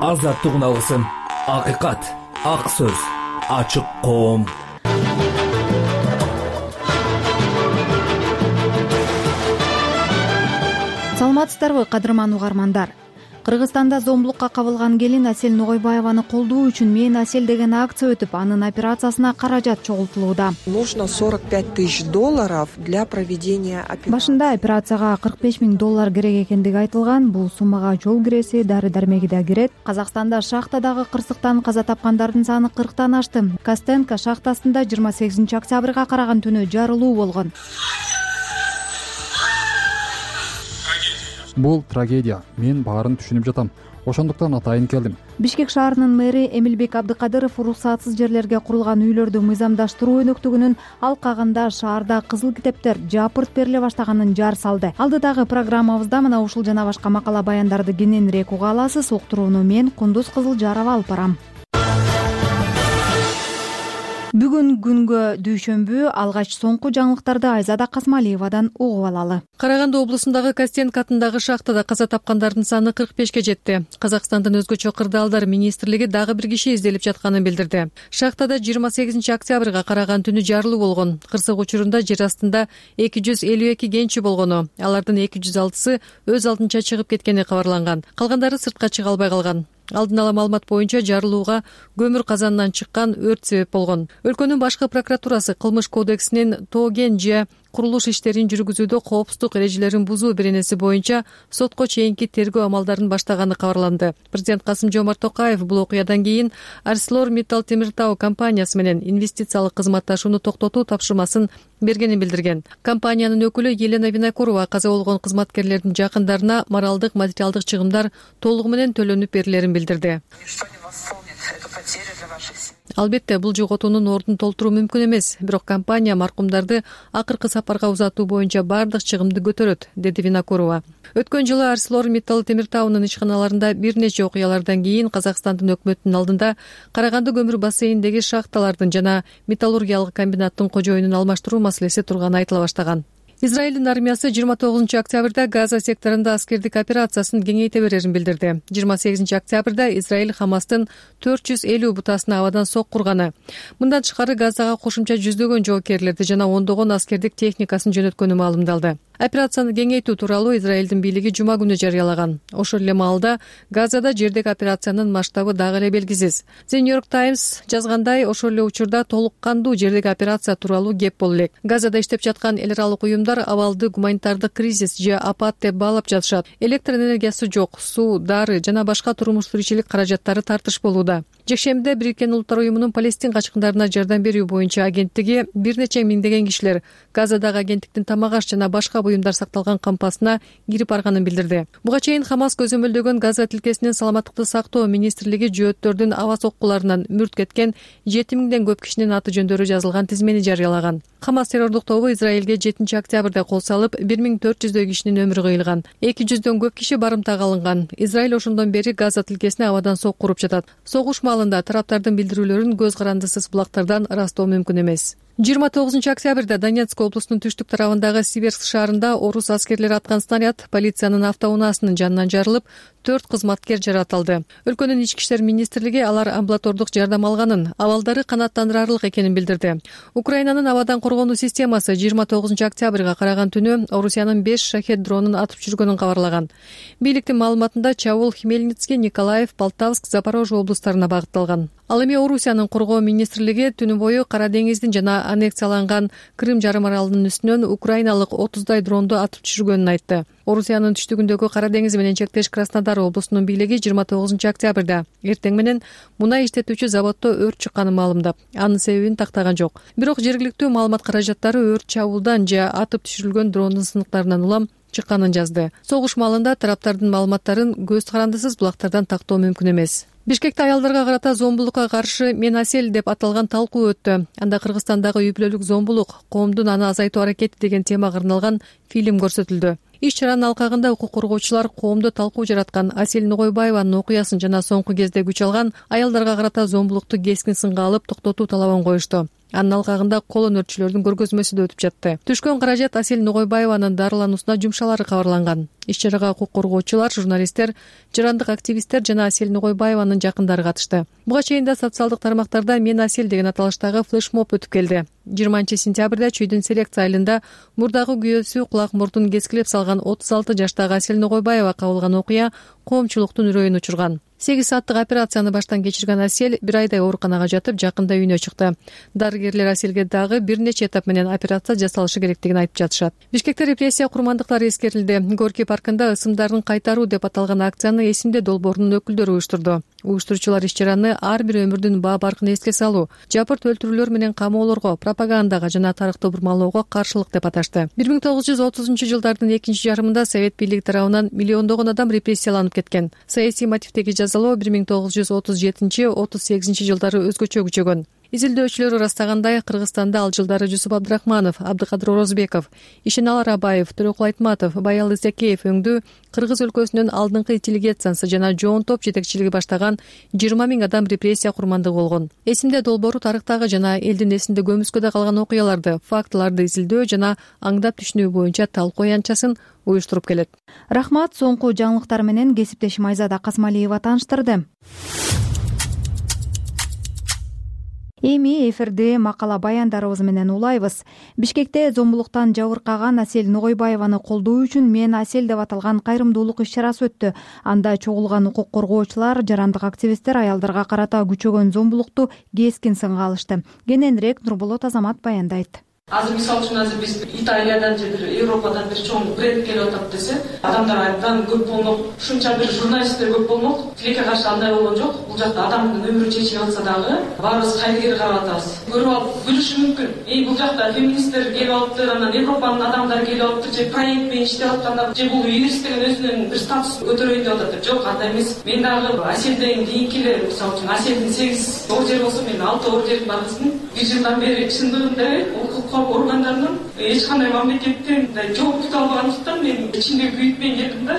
азаттык үналысын, акыйкат, ак сөз, ачык коом. Саламатсыздарбы, кадырман угармандар? Кыргызстанда зомбулукка кабылган келин Асель Ногойбаеваны колдоо үчүн «Мен Асель» деген акция өтүп, анын операциясына каражат чогултулууда. Нужно $45 000 для проведения операции. Башында операцияга $45 000 керек экендиги айтылган. Бул суммага жол киреси, дары-дармеги да кирет. Казакстанда шахтадагы кырсыктан каза тапкандардын саны 40тан ашты. Костенко шахтасында 28 октябрга караган түнү жарылуу болгон. Бул трагедия. Мен баарын түшүнүп жатам. Ошондуктан атайын келдим. Бишкек шаарынын мэри Эмилбек Абдыкадыров уруксатсыз жерлерге курулган үйлөрдү мыйзамдаштыруу өнөктүгүнүн алкагында шаарда кызыл китептер жапырт бериле баштаганын жар салды. Алдыдагы программабызда мына ушул жана башка макала баяндарды кененирээк уга аласыз. Уктурууну мен Кундуз Кызылжарова алып барам. Бүгүн күнгө дүйшөмбү, алгач соңку жаңылыктарды Айзада Касмалиевадан угуп алалы. Караганды облусундагы Костенко атындагы шахтада каза тапкандардын саны 45ке жетти. Казакстандын өзгөчө кырдаалдар министрлиги дагы бир киши изделип жатканын билдирди. Шахтада 28 октябрга караган түнү жарылуу болгон. Кырсык учурунда жер астында 252 кенчи болгону, алардын 206сы өз алдынча чыгып кеткени кабарланган. Калгандары сыртка чыга албай калган. Алдын ала маалымат боюнча жарылууга көмүр казанынан чыккан өрт себеп болгон. Өлкөнүн башкы прокуратурасы кылмыш кодексинин тоген же курулуш иштерин жүргүзүүдө коопсуздук эрежелерин бузуу беренеси боюнча сотко чейинки тергөө амалдарын баштаганы кабарланды. Президент Касым-Жомарт Токаев бул окуядан кийин ArcelorMittal Темиртау компаниясы менен инвестициялык кызматташууну токтотуу тапшырмасын бергенин билдирген. Компаниянын өкүлү Елена Винокурова каза болгон кызматкерлердин жакындарына моралдык, материалдык чыгымдар толугу менен төлөнүп берилерин билдирди. Албетте, бул жоготуунун ордун толтуруу мүмкүн эмес, бирок компания маркумдарды акыркы сапарга узатуу боюнча бардык чыгымды көтөрөт, деди Винокурова. Өткөн жылы ArcelorMittal Темиртаунун ишканаларында бир нече окуялардан кийин Казакстандын өкмөтүнүн алдында Караганды көмүр бассейниндеги шахталардын жана металлургиялык комбинаттын кожоюнун алмаштыруу маселеси турганы айтыла баштаган. Израилдин армиясы 29 октябрда Газа секторунда аскердик операциясын кеңейте берерин билдирди. 28 октябрда Израиль Хамастын 450 бутасына абадан соккурганы. Мындан тышкары Газага кошумча жүздөгөн жоокерлерди жана ондогон аскердик техникасын жөнөткөнү маалымдалды. Операцияны кеңейтүү тууралуу Израилдин бийлиги жума күнү жарыялаган. Ошол эле маалда Газада жердеги операциянын масштабы дагы эле белгисиз. The New York Times жазгандай, ошол эле учурда толук кандуу жердеги операция тууралуу кеп боло элек. Газада иштеп жаткан эл аралык уюмдар абалды гуманитардык кризис же апат деп баалап жатышат. Электр энергиясы жок, суу, дары жана башка турмуш тиричилик каражаттары тартыш болууда. Жекшембиде Бириккен Улуттар уюмунун Палестин качкындарына жардам берүү боюнча агенттиги бир нече миңдеген кишилер Газадагы агенттиктин тамак аш жана башка буюмдар сакталган кампасына кирип барганын билдирди. Буга чейин Хамас көзөмөлдөгөн Газа тилкесинин саламаттыкты сактоо министрлиги жөөттөрдүн аба соккуларынан мүрт кеткен 7000ден көп кишинин аты жөндөрү жазылган тизмени жарыялаган. Хамас террордук тобу Израилге 7 октябрда кол салып, 1400 кишинин өмүрү кыйылган. 200дөн көп киши барымтага алынган. Израиль ошондон бери Газа тилкесине абадан соккуруп жатат. Согуш маалында тараптардын билдирүүлөрүн көз карандысыз булактардан ырастоо мүмкүн эмес. 29 октябрда Донецк облусунун түштүк тарабындагы Сиверск шаарында орус аскерлери аткан снаряд полициянын автоунаасынын жанынан жарылып, 4 кызматкер жаратылды. Өлкөнүн ички иштер министрлиги алар амбулатордук жардам алганын, абалдары канааттандырарлык экенин билдирди. Украинанын абадан коргонуу системасы 29 октябрга караган түнү Орусиянын 5 шахет дронун атып жүргөнүн кабарлаган. Бийликтин маалыматында чабуул Хмельницкий, Николаев, Полтавск, Запорожье облустарына багытталган. Ал эми Орусиянын коргоо министрлиги түнү бою Кара деңиздин жана аннексияланган Крым жарым аралынын үстүнөн украиналык 30дай дронду атып түшүргөнүн айтты. Орусиянын түштүгүндөгү Кара деңиз менен чектеш Краснодар облусунун бийлиги 29 октябрда эртең менен мунай иштетүүчү заводдо өрт чыкканын маалымдап, анын себебин тактаган жок. Бирок жергиликтүү маалымат каражаттары өрт чабуулдан же атып түшүрүлгөн дрондун сыныктарынан улам чыкканын жазды. Согуш маалында тараптардын маалыматтарын көз карандысыз булактардан тактоо мүмкүн эмес. Бишкекте аялдарга карата зомбулукка каршы «Мен Асель» деп аталган талкуу өттү. Анда Кыргызстандагы үй-бүлөлүк зомбулук, коомдун аны азайтуу аракети деген темага арналган фильм көрсөтүлдү. Иш-чаранын алкагында укук коргоочулар коомдо талкуу жараткан Асель Ногойбаеванын окуясын жана соңку кезде күч алган аялдарга карата зомбулукту кескин сынга алып токтотуу талабын коюшту. Анын алкагында кол өнөрчүлөрдүн көргөзмөсү да өтүп жатты. Түшкөн каражат Асель Ногойбаеванын дарылануусуна жумшалары кабарланган. Иш-чарага укук коргоочулар, журналисттер, жарандык активисттер жана Асель Ногойбаеванын жакындары катышты. Буга чейин да социалдык тармактарда «Мен Асель» деген аталыштагы флешмоб өтүп келди. 20-сентябрда Чүйдүн селекция айылында мурдагы күйөөсү кулак мурдун кескилеп салган 36 жаштагы Асель Ногойбаева кабылган окуя коомчулуктун үрөйүн учурган. 8 сааттык операцияны баштан кечирген Асель 1 айдай ооруканага жатып, жакында үйүнө чыкты. Дарыгерлер Аселге дагы бир нече этап менен операция жасалышы керектигин айтып жатышат. Бишкекте репрессия курмандыктары эскерилди. Горький паркында ысымдарын кайтаруу деп аталган акцияны Эсимде долбоорунун өкүлдөрү уюштурду. Уюштуруучулар иш-чараны ар бир өмүрдүн баа баркын эске салуу, жапырт өлтүрүүлөр менен камоолорго, пропагандага жана тарыхты бурмалоого каршылык деп аташты. 1930-жылдардын экинчи жарымында Совет бийлиги тарабынан миллиондогон адам репрессияланып кеткен. Саясий мотивдеги жазалоо 1937-38 жылдары өзгөчө күчөгөн. Изилдөөчүлөр ырастагандай, Кыргызстанда ал жылдары Жусуп Абдрахманов, Абдыкадыр Орозбеков, Ишенал Арабаев, Төрөкул Айтматов, Баял Исекеев өңдүү Кыргыз өлкөсүнүн алдыңкы интеллигенциясы жана жоон топ жетекчилиги баштаган 20 000 адам репрессия курмандыгы болгон. Эсимде долбоору тарыхтагы жана элдин эсинде көмүскөдө калган окуяларды, фактыларды изилдөө жана аңдап түшүнүү боюнча талкуу аянтчасын уюштуруп келет. Рахмат, соңку жаңылыктар менен кесиптешим Айзада Казмалиева тааныштырды. Эми эфирде макала баяндарыбыз менен улайбыз. Бишкекте зомбулуктан жабыркаган Асель Ногойбаеваны колдоо үчүн «Мен Асель» деп аталган кайрымдуулук иш-чарасы өттү. Анда чогулган укук коргоочулар, жарандык активисттер аялдарга карата күчөгөн зомбулукту кескин сынга алышты. Кененирээк Нурболот Азамат баяндайт. Азыр мисалы үчүн азыр биз Италиядан же бир Европадан бир чоң бренд келип атат десе, адамдар абдан көп болмок, ушунча бир журналисттер көп болмок. Тилекке каршы андай болгон жок. Бул жакта адамдын өмүрү чечилип атса дагы баарыбыз кайгыгер карап атабыз. Көрүп алып күлүшү мүмкүн. Бул жакта феминисттер келип алыптыр, анан Европанын адамдары келип алыптыр, же проект менен иштеп атканда, же бул юрист деген өзүнүн бир статусун көтөрөйүн деп атат. Жок, андай эмес. Мен дагы Аселден кийинки эле, мисалы үчүн Аселдин 8 ордери болсо, мен 6 ордерим бар кызмын. 1 жылдан бери чындыгында укук органдарынын эч кандай мамлекеттен жоопту албагандыктан мен ичимде күйүтпөй келдим да.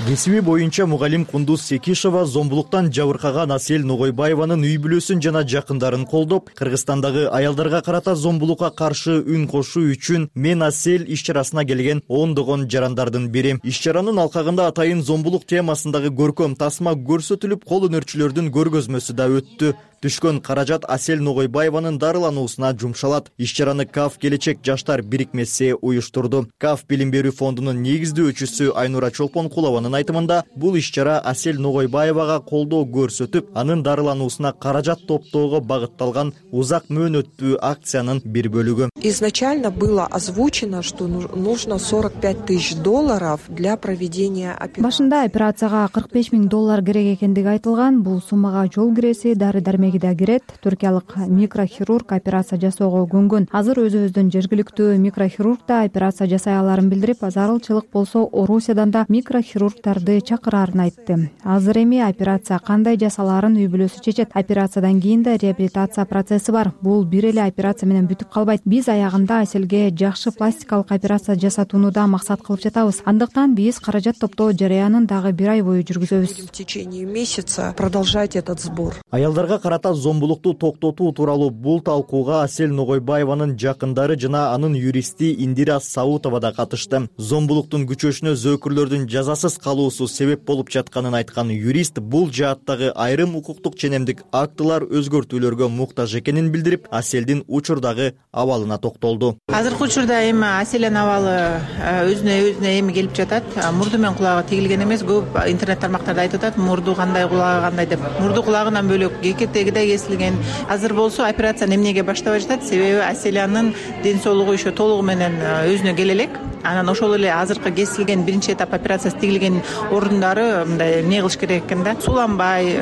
Кесиби боюнча мугалим Кундуз Секишова зомбулуктан жабыркаган Асель Ногойбаеванын үй бүлөсүн жана жакындарын колдоп, Кыргызстандагы аялдарга карата зомбулукка каршы үн кошуу үчүн «Мен Асель» иш-чарасына келген ондогон жарандардын бири. Иш-чаранын алкагында атайын зомбулук темасындагы көркөм тасма көрсөтүлүп, кол өнөрчүлөрдүн көргөзмөсү да өттү. Түшкөн каражат Асель Ногойбаеванын дарылануусуна жумшалат. Иш-чараны КАФ Келечек жаштар бирикмеси уюштурду. КАФ билим берүү фондунун негиздөөчүсү Айнура Чолпонкулованын айтымында, бул иш-чара Асель Ногойбаевага колдоо көрсөтүп, анын дарылануусуна каражат топтоого багытталган узак мөөнөттүү акциянын бир бөлүгү. Изначально было озвучено, что нужно $45 000 для проведения операции. Башында операцияга $45 000 керек экендиги айтылган. Бул суммага жол киреси, дары-дармеги да кирет. Түркиялык микрохирург операция жасоого көнгөн. Азыр өзүбүздүн жергиликтүү микрохирург да операция жасай аларын билдирип, зарылчылык болсо Орусиядан да микрохирургдарды чакырарын айтты. Азыр эми операция кандай жасалаарын үй бүлөсү чечет. Операциядан кийин да реабилитация процесси бар. Бул бир эле операция менен бүтүп калбайт. Биз аягында Аселге жакшы пластикалык операция жасатууну да максат кылып жатабыз. Андыктан биз каражат топтоо жарыянын дагы 1 ай бою жүргүзөбүз. В течение месяца продолжать этот сбор. Аялдарга карата зомбулукту токтотуу тууралуу бул талкууга Асель Ногойбаеванын жакындары жана анын юристи Индира Саутова да катышты. Зомбулуктун күчөшүнө зөөкүрлөрдүн жазасыз калуусу себеп болуп жатканын айткан юрист бул жааттагы айрым укуктук ченемдик актылар өзгөртүүлөргө муктаж экенин билдирип, Аселдин учурдагы абалына токтолду. Азыркы учурда эми Аселдин абалы өзүнө эми келип жатат. Мурду менен кулагы тигилген эмес. Көп интернет тармактарда айтып атат, мурду кандай, кулагы кандай деп. Мурду кулагынан бөлөк кекетеги да кесилген. Азыр болсо операцияны эмнеге баштабай жатат? Себеби Аселянын ден соолугу еще толугу менен өзүнө келе элек. Анан ошол эле азыркы кесилген биринчи этап операциясы тигилген ордундары мындай эмне кылыш керек экен да? Суланбай,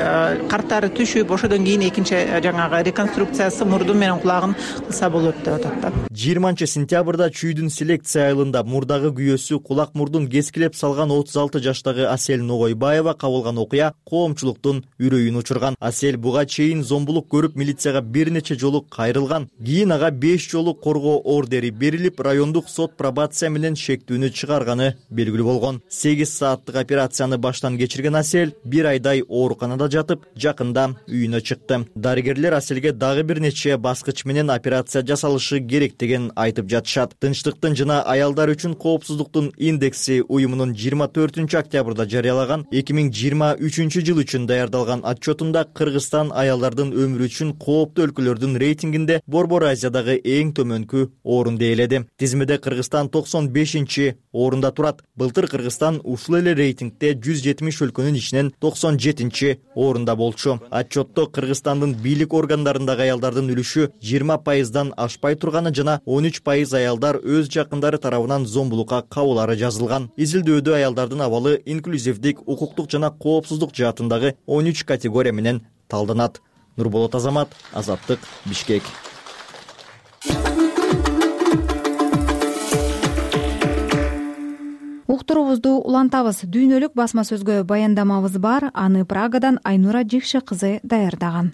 карттары түшүп, ошодон кийин экинчи жаңагы реконструкциясы мурду менен кулагын кылса болот деп атат да. 20-сентябрда Чүйдүн селекция айылында мурдагы күйөөсү кулак мурдун кескилеп салган 36 жаштагы Асель Ногойбаева кабылган окуя коомчулуктун үрөйүн учурган. Асель буга чейин зомбулук көрүп милицияга бир нече жолу кайрылган. Кийин ага 5 жолу коргоо ордери берилип, райондук сот пробация менен менен шектүүнү чыгарганы белгилүү болгон. 8 сааттык операцияны баштан кечирген Асель 1 айдай ооруканада жатып, жакында үйүнө чыкты. Дарыгерлер Аселге дагы бир нече баскыч менен операция жасалышы керектигин айтып жатышат. Тынчтыктын жана аялдар үчүн коопсуздуктун индекси уюмунун 24 октябрда жарыялаган 2023 жыл үчүн даярдалган отчетунда Кыргызстан аялдардын өмүрү үчүн кооптуу өлкөлөрдүн рейтингинде Борбор Азиядагы эң төмөнкү орунду ээледи. Тизмеде Кыргызстан 95 орунда турат. Былтыр Кыргызстан ушул эле рейтингде 170 өлкөнүн ичинен 97 орунда болчу. Отчетто Кыргызстандын бийлик органдарындагы аялдардын үлүшү 20%дан ашпай турганы жана 13% аялдар өз жакындары тарабынан зомбулукка кабылары жазылган. Изилдөөдө аялдардын абалы инклюзивдик, укуктук жана коопсуздук жаатындагы 13 категория менен талданат. Нурболот Азамат, Азаттык, Бишкек. Уктуруубузду улантабыз. Дүйнөлүк басма сөзгө баяндамабыз бар. Аны Прагадан Айнура Жекше кызы даярдаган.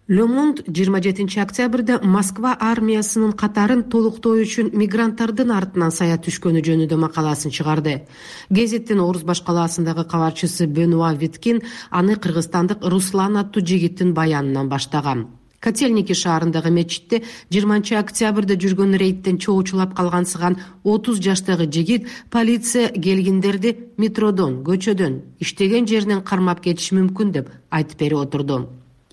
Le Monde 27 октябрда Москва армиясынын катарын толуктоо үчүн мигранттардын артынан сая түшкөнү жөнүндө макаласын чыгарды. Гезиттин Орус башкаласындагы кабарчысы Бенуа Виткин аны кыргызстандык Руслан аттуу жигиттин баянынан баштаган. Котельники шаарындагы мечитте 20 октябрда жүргөн рейдтен чоочулап калгансыган 30 жаштагы жигит полиция келгиндерди метродон, көчөдөн, иштеген жеринен кармап кетиши мүмкүн деп айтып берип отурду.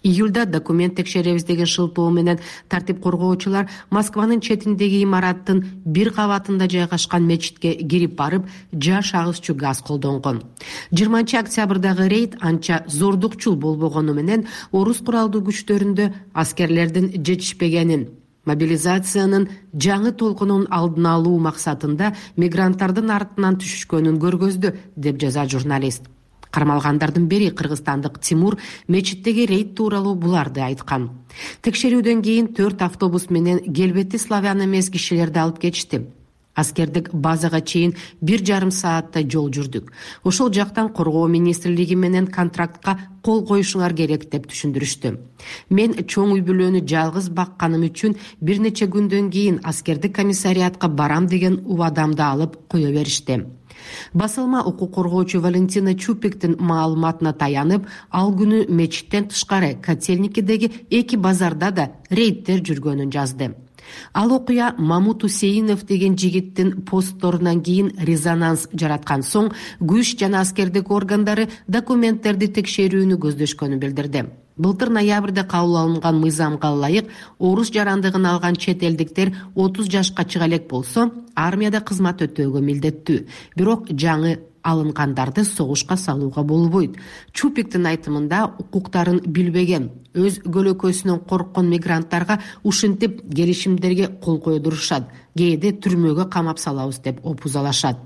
Июлда документ текшеребиз деген шылтоо менен тартип коргоочулар Москванын четиндеги имараттын бир кабатында жайгашкан мечитке кирип барып, жаш агызчу газ колдонгон. 20 октябрдагы рейд анча зордукчул болбогону менен орус куралдуу күчтөрүндө аскерлердин жетишпегенин, мобилизациянын жаңы толкунун алдын алуу максатында мигранттардын артынан түшүшкөнүн көргөздү, деп жазат журналист. Кармалгандардын бири кыргызстандык Тимур мечиттеги рейд тууралуу буларды айткан. Текшерүүдөн кийин 4 автобус менен келбети славян эмес кишилерди алып кетишти. Аскердик базага чейин 1,5 сааттай жол жүрдүк. Ошол жактан коргоо министрлиги менен контрактка кол коюшуңар керек деп түшүндүрүштү. Мен чоң үй бүлөнү жалгыз бакканым үчүн бир нече күндөн кийин аскердик комиссариатка барам деген убадамды алып кое беришти. Басылма укук коргоочу Валентина Чупиктин маалыматына таянып, ал күнү мечиттен тышкары Котельникидеги 2 базарда да рейдтер жүргөнүн жазды. Ал окуя Мамут Усейинов деген жигиттин постторунан кийин резонанс жараткан соң, күч жана аскердик органдары документтерди текшерүүнү көздөшкөнүн билдирди. Былтыр ноябрда кабыл алынган мыйзамга ылайык орус жарандыгын алган чет элдиктер 30 жашка чыга элек болсо, армияда кызмат өтөөгө милдеттүү. Бирок жаңы алынгандарды согушка салууга болбойт. Чупиктин айтымында укуктарын билбеген, өз көлөкөсүнөн корккон мигранттарга ушинтип келишимдерге кол койдурушат, кээде түрмөгө камап салабыз деп опузалашат.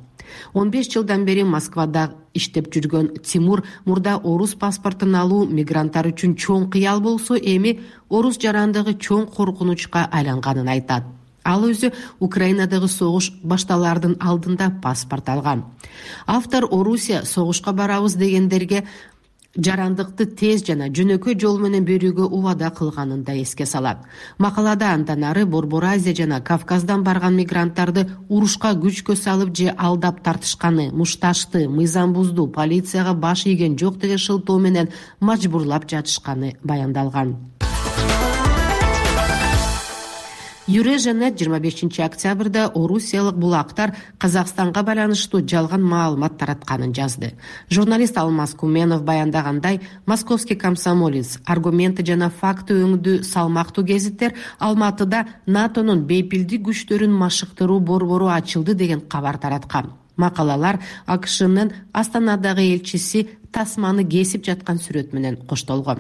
15 жылдан бери Москвада иштеп жүргөн Тимур мурда орус паспортун алуу мигранттар үчүн чоң кыял болсо, эми орус жарандыгы чоң коркунучка айланганын айтат. Ал өзү Украинадагы согуш башталаардын алдында паспорт алган. Автор Орусия согушка барабыз дегендерге жарандыкты тез жана жөнөкөй жол менен берүүгө убада кылганын да эске салат. Макалада андан ары Борбор Азия жана Кавказдан барган мигранттарды урушка күчкө салып же алдап тартышканы, мушташты, мыйзам бузду, полицияга баш ийген жок деген шылтоо менен мажбурлап жатышканы баяндалган. Юреженет 25 октябрда орусиялык булактар Казакстанга байланыштуу жалган маалымат таратканын жазды. Журналист Алмаз Куменов баяндагандай, Московский комсомолец аргументи жана факты өңдүү салмактуу гезиттер Алматыда НАТОнун бейпилдик күчтөрүн машыктыруу борбору ачылды деген кабар тараткан. Макалалар АКШнын Астанадагы элчиси тасманы кесип жаткан сүрөт менен коштолгон.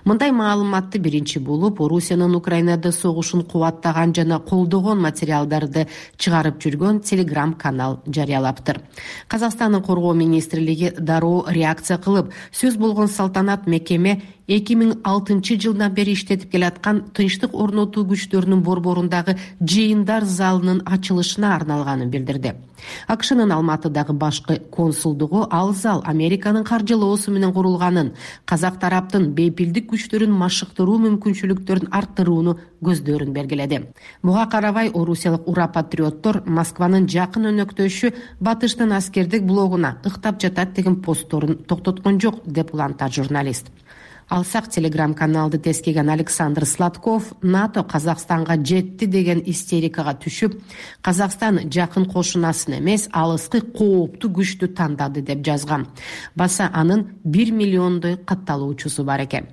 Мындай маалыматты биринчи болуп Орусиянын Украинада согушун кубаттаган жана колдогон материалдарды чыгарып жүргөн телеграм-канал жарыялаптыр. Казакстандын коргоо министрлиги дароо реакция кылып, сөз болгон салтанат мекеме 2006 жылдан бери иштетип келаткан тынчтык орнотуу күчтөрүнүн борборундагы жыйындар залынын ачылышына арналганын билдирди. АКШнын Алматыдагы башкы консулдугу ал зал Американын каржылоосу менен курулганын, казак тараптын бейпилдик күчтөрүн машыктыруу мүмкүнчүлүктөрүн арттырууну көздөрүн белгиледи. Буга карабай орусиялык ура патриоттор Москванын жакын өнөктөшү батыштын аскердик блогуна ыктап жатат деген постторун токтоткон жок деп улантат журналист. Алсак телеграм-каналды тескеген Александр Сладков НАТО Казакстанга жетти деген истерикага түшүп, Казакстан жакын кошунасын эмес, алыскы кооптуу күчтү тандады деп жазган. Баса анын 1 миллиондой катталуучусу бар экен.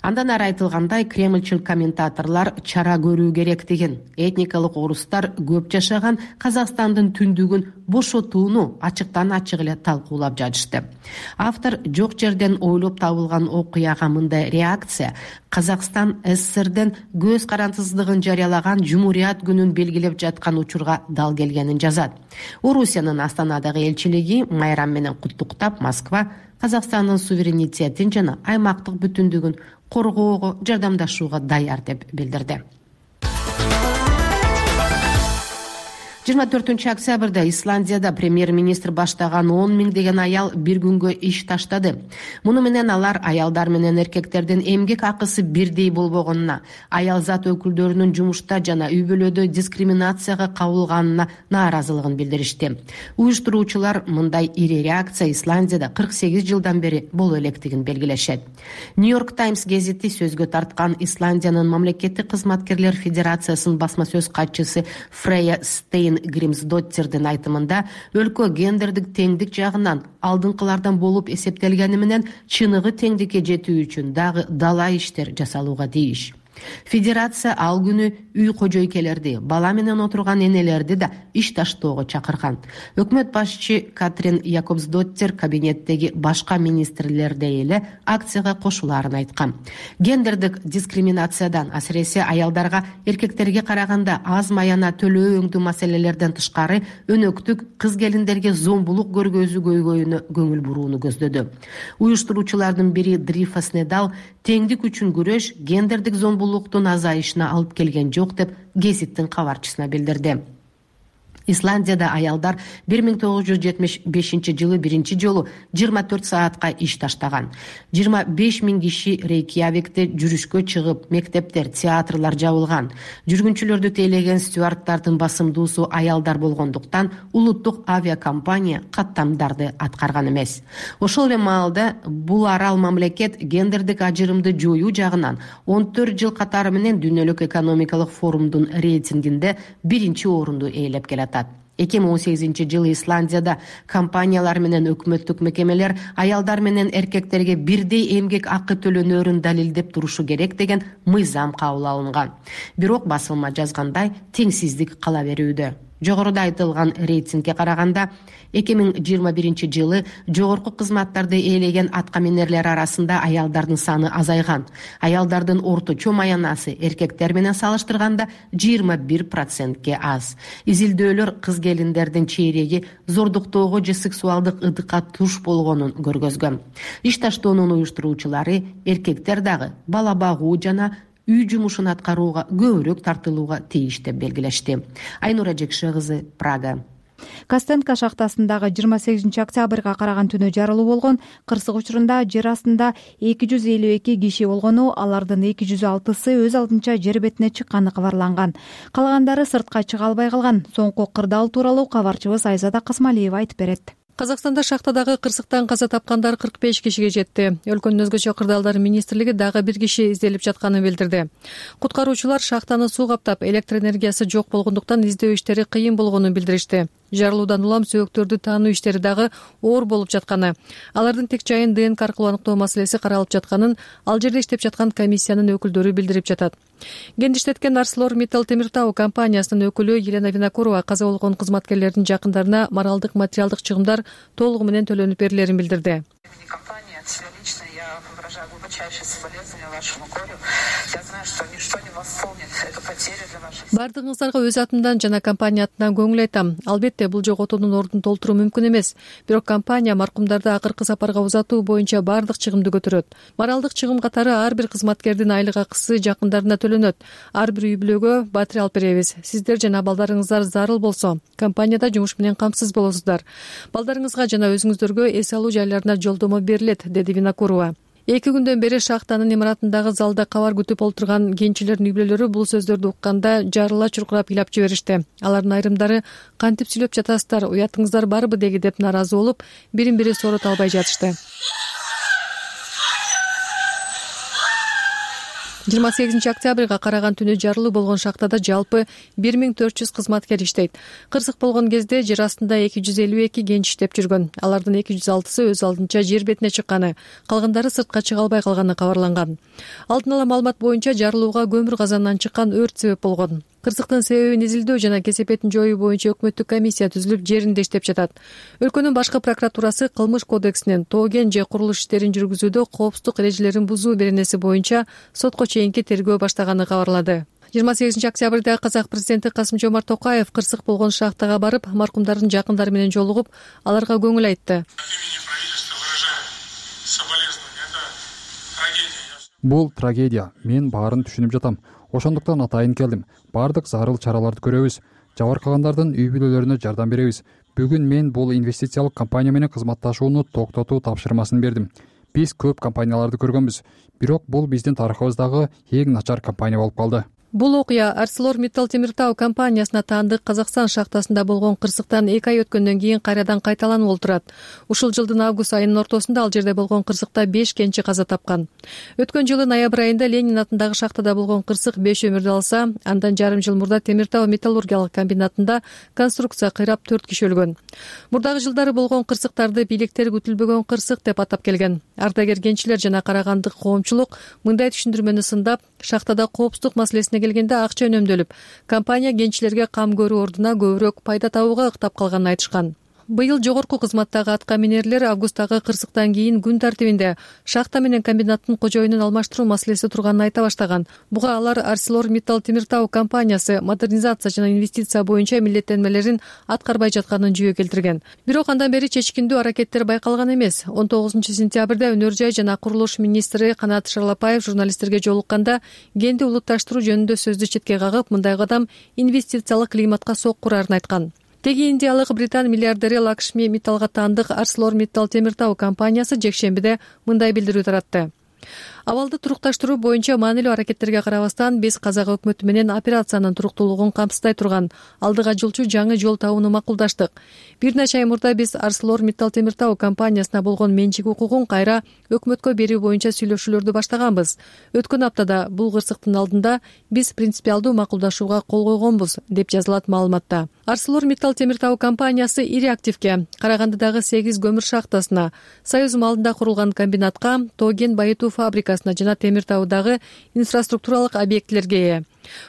Андан ары айтылгандай, кремльчил комментаторлор чара көрүү керек деген, этникалык орустар көп жашаган Казакстандын түндүгүн бошотууну ачыктан ачык эле талкуулап жатышты. Автор жок жерден ойлоп табылган окуяга мындай реакция Казакстан СССРден көз карандысыздыгын жарыялаган Жумурият күнүн белгилеп жаткан учурга дал келгенин жазат. Орусиянын Астанадагы элчилиги майрам менен куттуктап, Москва Казакстандын суверенитетин жана аймактык бүтүндүгүн коргоого жардамдашууга даяр деп билдирди. 24 октябрда Исландияда премьер-министр баштаган 10 миңдеген аял бир күнгө иш таштады. Муну менен алар аялдар менен эркектердин эмгек акысы бирдей болбогонуна, аял зат өкүлдөрүнүн жумушта жана үй-бүлөдө дискриминацияга кабылганына нааразылыгын билдиришти. Уюштуруучулар мындай ири реакция Исландияда 48 жылдан бери боло электигин белгилешет. Нью-Йорк Таймс гезити сөзгө тарткан Исландиянын мамлекеттик кызматкерлер федерациясынын басма сөз катчысы Фрейя Стейн Гримсдоттердин айтымында, өлкө гендердик теңдик жагынан алдыңкылардан болуп эсептелгени менен чыныгы теңдикке жетүү үчүн дагы дала иштер жасалууга тийиш. Федерация ал күнү үй кожойкелерди, бала менен отурган энелерди да иш таштоого чакырган. Өкмөт башчы Катрин Якобсдоттер кабинеттеги башка министрлердей эле акцияга кошулаарын айткан. Гендердик дискриминациядан, асыресе аялдарга эркектерге караганда аз маяна төлөө өңдүү маселелерден тышкары өнөктүк кыз келиндерге зомбулук көргөзүү көйгөйүнө көңүл бурууну көздөдү. Уюштуруучулардын бири Дрифа Снедал теңдик үчүн күрөш гендердик зомбулуктун азайышына алып келген жок деп гезиттин кабарчысына билдирди. Исландияда аялдар 1975 жылы биринчи жолу 24 саатка иш таштаган. 25 миң киши Рейкьявикте жүрүшкө чыгып, мектептер, театрлар жабылган. Жүргүнчүлөрдү тейлеген стюардтардын басымдуусу аялдар болгондуктан улуттук авиакомпания каттамдарды аткарган эмес. Ошол эле маалда бул арал мамлекет гендердик ажырымды жоюу жагынан 14 жыл катары менен Дүйнөлүк экономикалык форумдун рейтингинде биринчи орунду ээлеп келатат. 2018 жылы Исландияда компаниялар менен өкмөттүк мекемелер аялдар менен эркектерге бирдей эмгек акы төлөнөрүн далилдеп турушу керек деген мыйзам кабыл алынган. Бирок басылма жазгандай теңсиздик кала берүүдө. Жогоруда айтылган рейтингге караганда 2021 жылы жогорку кызматтарды ээлеген аткаминерлер арасында аялдардын саны азайган. Аялдардын орточо маянасы эркектер менен салыштырганда 21%ке аз. Изилдөөлөр кыз келиндердин чейреги зордуктоого же сексуалдык ыдыкка туш болгонун көргөзгөн. Иш таштоонун уюштуруучулары эркектер дагы бала багуу жана үй жумушун аткарууга көбүрөөк тартылууга тийиш деп белгилешти. Айнура Жекше кызы, Прага. Костенко шахтасындагы 28 октябрга караган түнү жарылуу болгон. Кырсык учурунда жер астында 252 киши болгону, алардын 206сы өз алдынча жер бетине чыкканы кабарланган. Калгандары сыртка чыга албай калган. Соңку кырдаал тууралуу кабарчыбыз Айзада Касмалиева айтып берет. Казакстанда шахтадагы кырсыктан каза тапкандар 45 кишиге жетти. Өлкөнүн өзгөчө кырдаалдар министрлиги дагы бир киши изделип жатканын билдирди. Куткаруучулар шахтаны суу каптап, электр энергиясы жок болгондуктан издөө иштери кыйын болгонун билдиришти. Жарылуудан улам сөөгтөрдү таануу иштери дагы оор болуп жатканы, алардын тек жайын ДНК аркылуу аныктоо маселеси каралып жатканын ал жерде иштеп жаткан комиссиянын өкүлдөрү билдирип жатат. Гендиштеткен ArcelorMittal Темиртау компаниясынын өкүлү Елена Винокурова каза болгон кызматкерлердин жакындарына моралдык, материалдык чыгымдар толугу менен төлөнүп берилерин билдирди. глубочайшие соболезнования вашему горю. Я знаю, что ничто не восполнит эту потерю для вашей семьи. Бардыгыңыздарга өз атымдан жана компания атынан көңүл айтам. Албетте бул жоготуунун ордун толтуруу мүмкүн эмес. Бирок компания маркумдарды акыркы сапарга узатуу боюнча бардык чыгымды көтөрөт. Моралдык чыгым катары ар бир кызматкердин айлык акысы жакындарына төлөнөт. Ар бир үй бүлөгө батирей алып беребиз. Сиздер жана балдарыңыздар зарыл болсо, компанияда жумуш менен камсыз болосуздар. Балдарыңызга жана өзүңүздөргө эс алуу жайларына жолдомо берилет, деди Винокурова. 2 күндөн бери шахтанын имаратындагы залда кабар күтүп отурган кенчилердин үй бүлөлөрү бул сөздөрдү укканда жарыла чуркурап ыйлап жиберишти. Алардын айрымдары кантип сүйлөп жатасыздар, уятыңыздар барбы деги деп нааразы болуп, бирин бири соорота албай жатышты. 28 октябрга караган түнү жарылуу болгон шахтада жалпы 1400 кызматкер иштейт. Кырсык болгон кезде жер астында 252 кенч иштеп жүргөн. Алардын 206сы өз алдынча жер бетине чыкканы, калгандары сыртка чыга албай калганы кабарланган. Алдын ала маалымат боюнча жарылууга көмүр казанынан чыккан өрт себеп болгон. Кырсыктын себебин изилдөө жана кесепетин жоюу боюнча өкмөттүк комиссия түзүлүп, жеринде иштеп жатат. Өлкөнүн башкы прокуратурасы кылмыш кодексинин тоген же курулуш иштерин жүргүзүүдө коопсуздук эрежелерин бузуу беренеси боюнча сотко чейинки тергөө баштаганы кабарлады. 28 октябрда казак президенти Касым-Жомарт Токаев кырсык болгон шахтага барып, маркумдардын жакындары менен жолугуп, аларга көңүл айтты. Бул трагедия. Мен баарын түшүнүп жатам. Ошондуктан атайын келдим. Бардык зарыл чараларды көрөбүз. Жабыркагандардын үй бүлөлөрүнө жардам беребиз. Бүгүн мен бул инвестициялык компания менен кызматташууну токтотуу тапшырмасын бердим. Биз көп компанияларды көргөнбүз, бирок бул биздин тарыхыбыздагы эң начар компания болуп калды. Бул окуя ArcelorMittal Темиртау компаниясына таандык Казакстан шахтасында болгон кырсыктан 2 ай өткөндөн кийин кайрадан кайталанып олтурат. Ушул жылдын август айынын ортосунда ал жерде болгон кырсыкта 5 кенчи каза тапкан. Өткөн жылы ноябрь айында Ленин атындагы шахтада болгон кырсык 5 өмүрдү алса, андан жарым жыл мурда Темиртау металлургиялык комбинатында конструкция кыйрап 4 киши өлгөн. Мурдагы жылдары болгон кырсыктарды бийликтер күтүлбөгөн кырсык деп атап келген. Ардагер кенчилер жана карагандык коомчулук мындай түшүндүрмөнү сындап, шахтада коопсуздук маселесине келгенде акча үнөмдөлүп, компания кенчилерге кам көрүү ордуна көбүрөөк пайда табууга ыктап калганын айтышкан. Быйыл жогорку кызматтагы атка минерлер августтагы кырсыктан кийин күн тартибинде шахта менен комбинаттын кожоюнун алмаштыруу маселеси турганын айта баштаган. Буга алар ArcelorMittal Темиртау компаниясы модернизация жана инвестиция боюнча милдеттенмелерин аткарбай жатканын жүйө келтирген. Бирок андан бери чечкиндүү аракеттер байкалган эмес. 19 сентябрда өнөр жай жана курулуш министри Канат Шарлапаев журналисттерге жолукканда кенди улутташтыруу жөнүндө сөздү четке кагып, мындай кадам инвестициялык климатка сокку урарын айткан. Теги индиялык британ миллиардери Лакшми Митталга таандык ArcelorMittal Темиртау компаниясы жекшембиде мындай билдирүү таратты. Абалды турукташтыруу боюнча маанилүү аракеттерге карабастан биз казак өкмөтү менен операциянын туруктуулугун камсыздай турган алдыга жылчу жаңы жол табууну макулдаштык. Бир нече ай мурда биз ArcelorMittal Темиртау компаниясына болгон менчик укугун кайра өкмөткө берүү боюнча сүйлөшүүлөрдү баштаганбыз. Өткөн аптада бул кырсыктын алдында биз принципиалдуу макулдашууга кол койгонбуз, деп жазылат маалыматта. ArcelorMittal Темиртау компаниясы ири активке, Карагандыдагы 8 көмүр шахтасына, Союз маалында курулган комбинатка, тоген байытуу фабрикасына жана Темиртаудагы инфраструктуралык объектилерге ээ.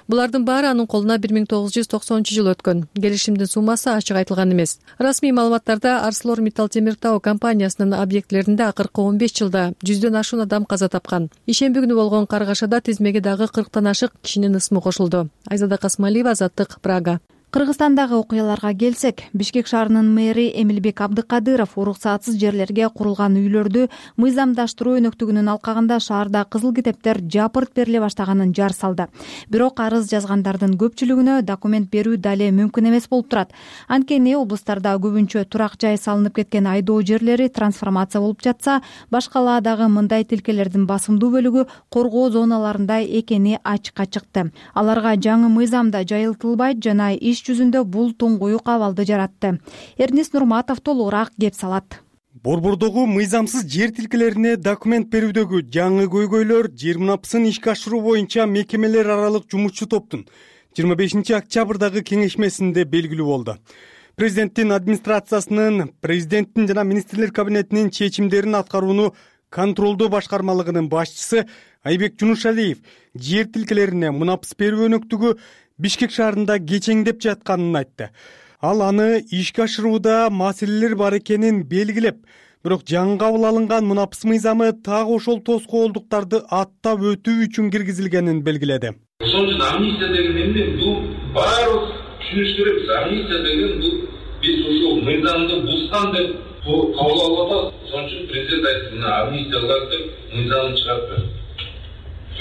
Булардын баары анын колуна 1990 өткөн. Келишимдин суммасы ачык айтылган эмес. Расмий маалыматтарда ArcelorMittal Темиртау компаниясынын объектилеринде акыркы 15 жылда 100дөн ашуун адам каза тапкан. Ишемби күнү болгон каргашада тизмеге дагы 40тан ашык кишинин ысмы кошулду. Айзада Касмалиева, Азаттык, Прага. Кыргызстандагы окуяларга келсек, Бишкек шаарынын мэри Эмилбек Абдыкадыров уруксатсыз жерлерге курулган үйлөрдү мыйзамдаштыруу өнөктүгүнүн алкагында шаарда кызыл китептер жапырт бериле баштаганын жар салды. Бирок арыз жазгандардын көпчүлүгүнө документ берүү дале мүмкүн эмес болуп турат. Анткени облустарда көбүнчө турак жай салынып кеткен айдоо жерлери трансформация болуп жатса, башкалаадагы мындай тилкелердин басымдуу бөлүгү коргоо зоналарында экени ачыкка чыкты. Аларга жаңы мыйзамда жайылтылбайт жана жүзүндө бул туңгуюк абалды жаратты. Эрнис Нурматов толугураак кеп салат. Борбордогу мыйзамсыз жер тилкелерине документ берүүдөгү жаңы көйгөйлөр жер мунапысын ишке ашыруу боюнча мекемелер аралык жумушчу топтун 25 октябрдагы кеңешмесинде белгилүү болду. Президенттин администрациясынын, президенттин жана министрлер кабинетинин чечимдерин аткарууну контролдоо башкармалыгынын башчысы Айбек Жунушалиев жер тилкелерине мунапыс берүү өнөктүгү Бишкек шаарында кечеңдеп жатканын айтты. Ал аны ишке ашырууда маселелер бар экенин белгилеп, Бирок жаңы кабыл алынган мунапыс мыйзамы так ошол тоскоолдуктарды аттап өтүү үчүн киргизилгенин белгиледи. Ошон үчүн амнистия деген эмне? Бул баары түшүнүш керекпиз. Амнистия деген бул биз ушул мыйзамды бузган деп кабыл алып атабыз. Ошон үчүн президент айтты, мына амнистия кылат деп мыйзамды чыгарып берди.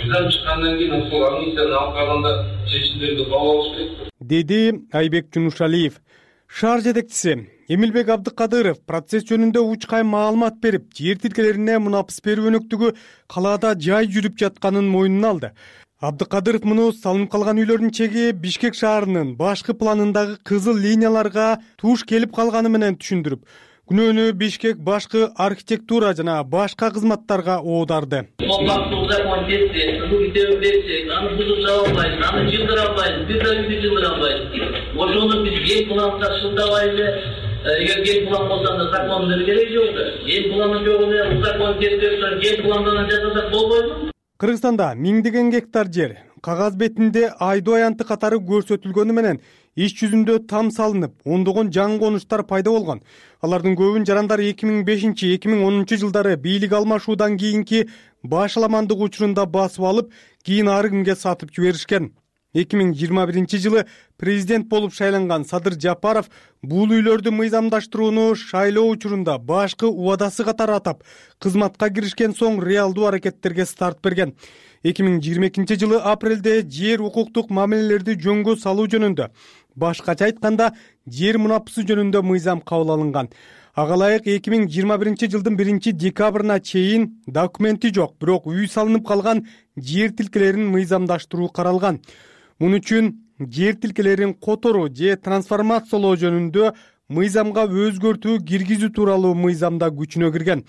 Мыйзам чыккандан кийин ошол амнистияны алып калганда чечимдерди кабыл алыш керек, деди Айбек Жунушалиев. Шаар жетекчиси Эмилбек Абдыкадыров процесс жөнүндө учкай маалымат берип, жер тилкелерине мунапыс берүү өнөктүгү калаада жай жүрүп жатканын мойнуна алды. Абдыкадыров муну салынып калган үйлөрдүн чеги Бишкек шаарынын башкы планындагы кызыл линияларга туш келип калганы менен түшүндүрүп, күнөөнү Бишкек башкы архитектура жана башка кызматтарга оодарды. Аны бузуп чыга албайбыз, аны жылдыра албайбыз, бир да үйдү жылдыра албайбыз. Ошону биз эл планды шылтабайлы, эгер эл план болсо анда закондун кереги жок да. Эл планы жок эле закон кертип, эл пландан жасасак болбойбу? Кыргызстанда миңдеген гектар жер кагаз бетинде айдоо аянты катары көрсөтүлгөнү менен иш жүзүндө там салынып, ондогон жаңы конуштар пайда болгон. Алардын көбүн жарандар 2005-2010 жылдары бийлик алмашуудан кийинки башаламандык учурунда басып алып, кийин ар кимге сатып жиберишкен. 2021 жылы президент болуп шайланган Садыр Жапаров бул үйлөрдү мыйзамдаштырууну шайлоо учурунда башкы убадасы катары атап, кызматка киришкен соң реалдуу аракеттерге старт берген. 2022 жылы апрелде жер укуктук мамилелерди жөнгө салуу жөнүндө, башкача айтканда жер мунапысы жөнүндө мыйзам кабыл алынган. Ага ылайык 2021 жылдын 1-декабрына чейин документи жок, бирок үй салынып калган жер тилкелерин мыйзамдаштыруу каралган. Муну үчүн жер тилкелерин которуу же трансформациялоо жөнүндө мыйзамга өзгөртүү киргизүү тууралуу мыйзамда күчүнө кирген.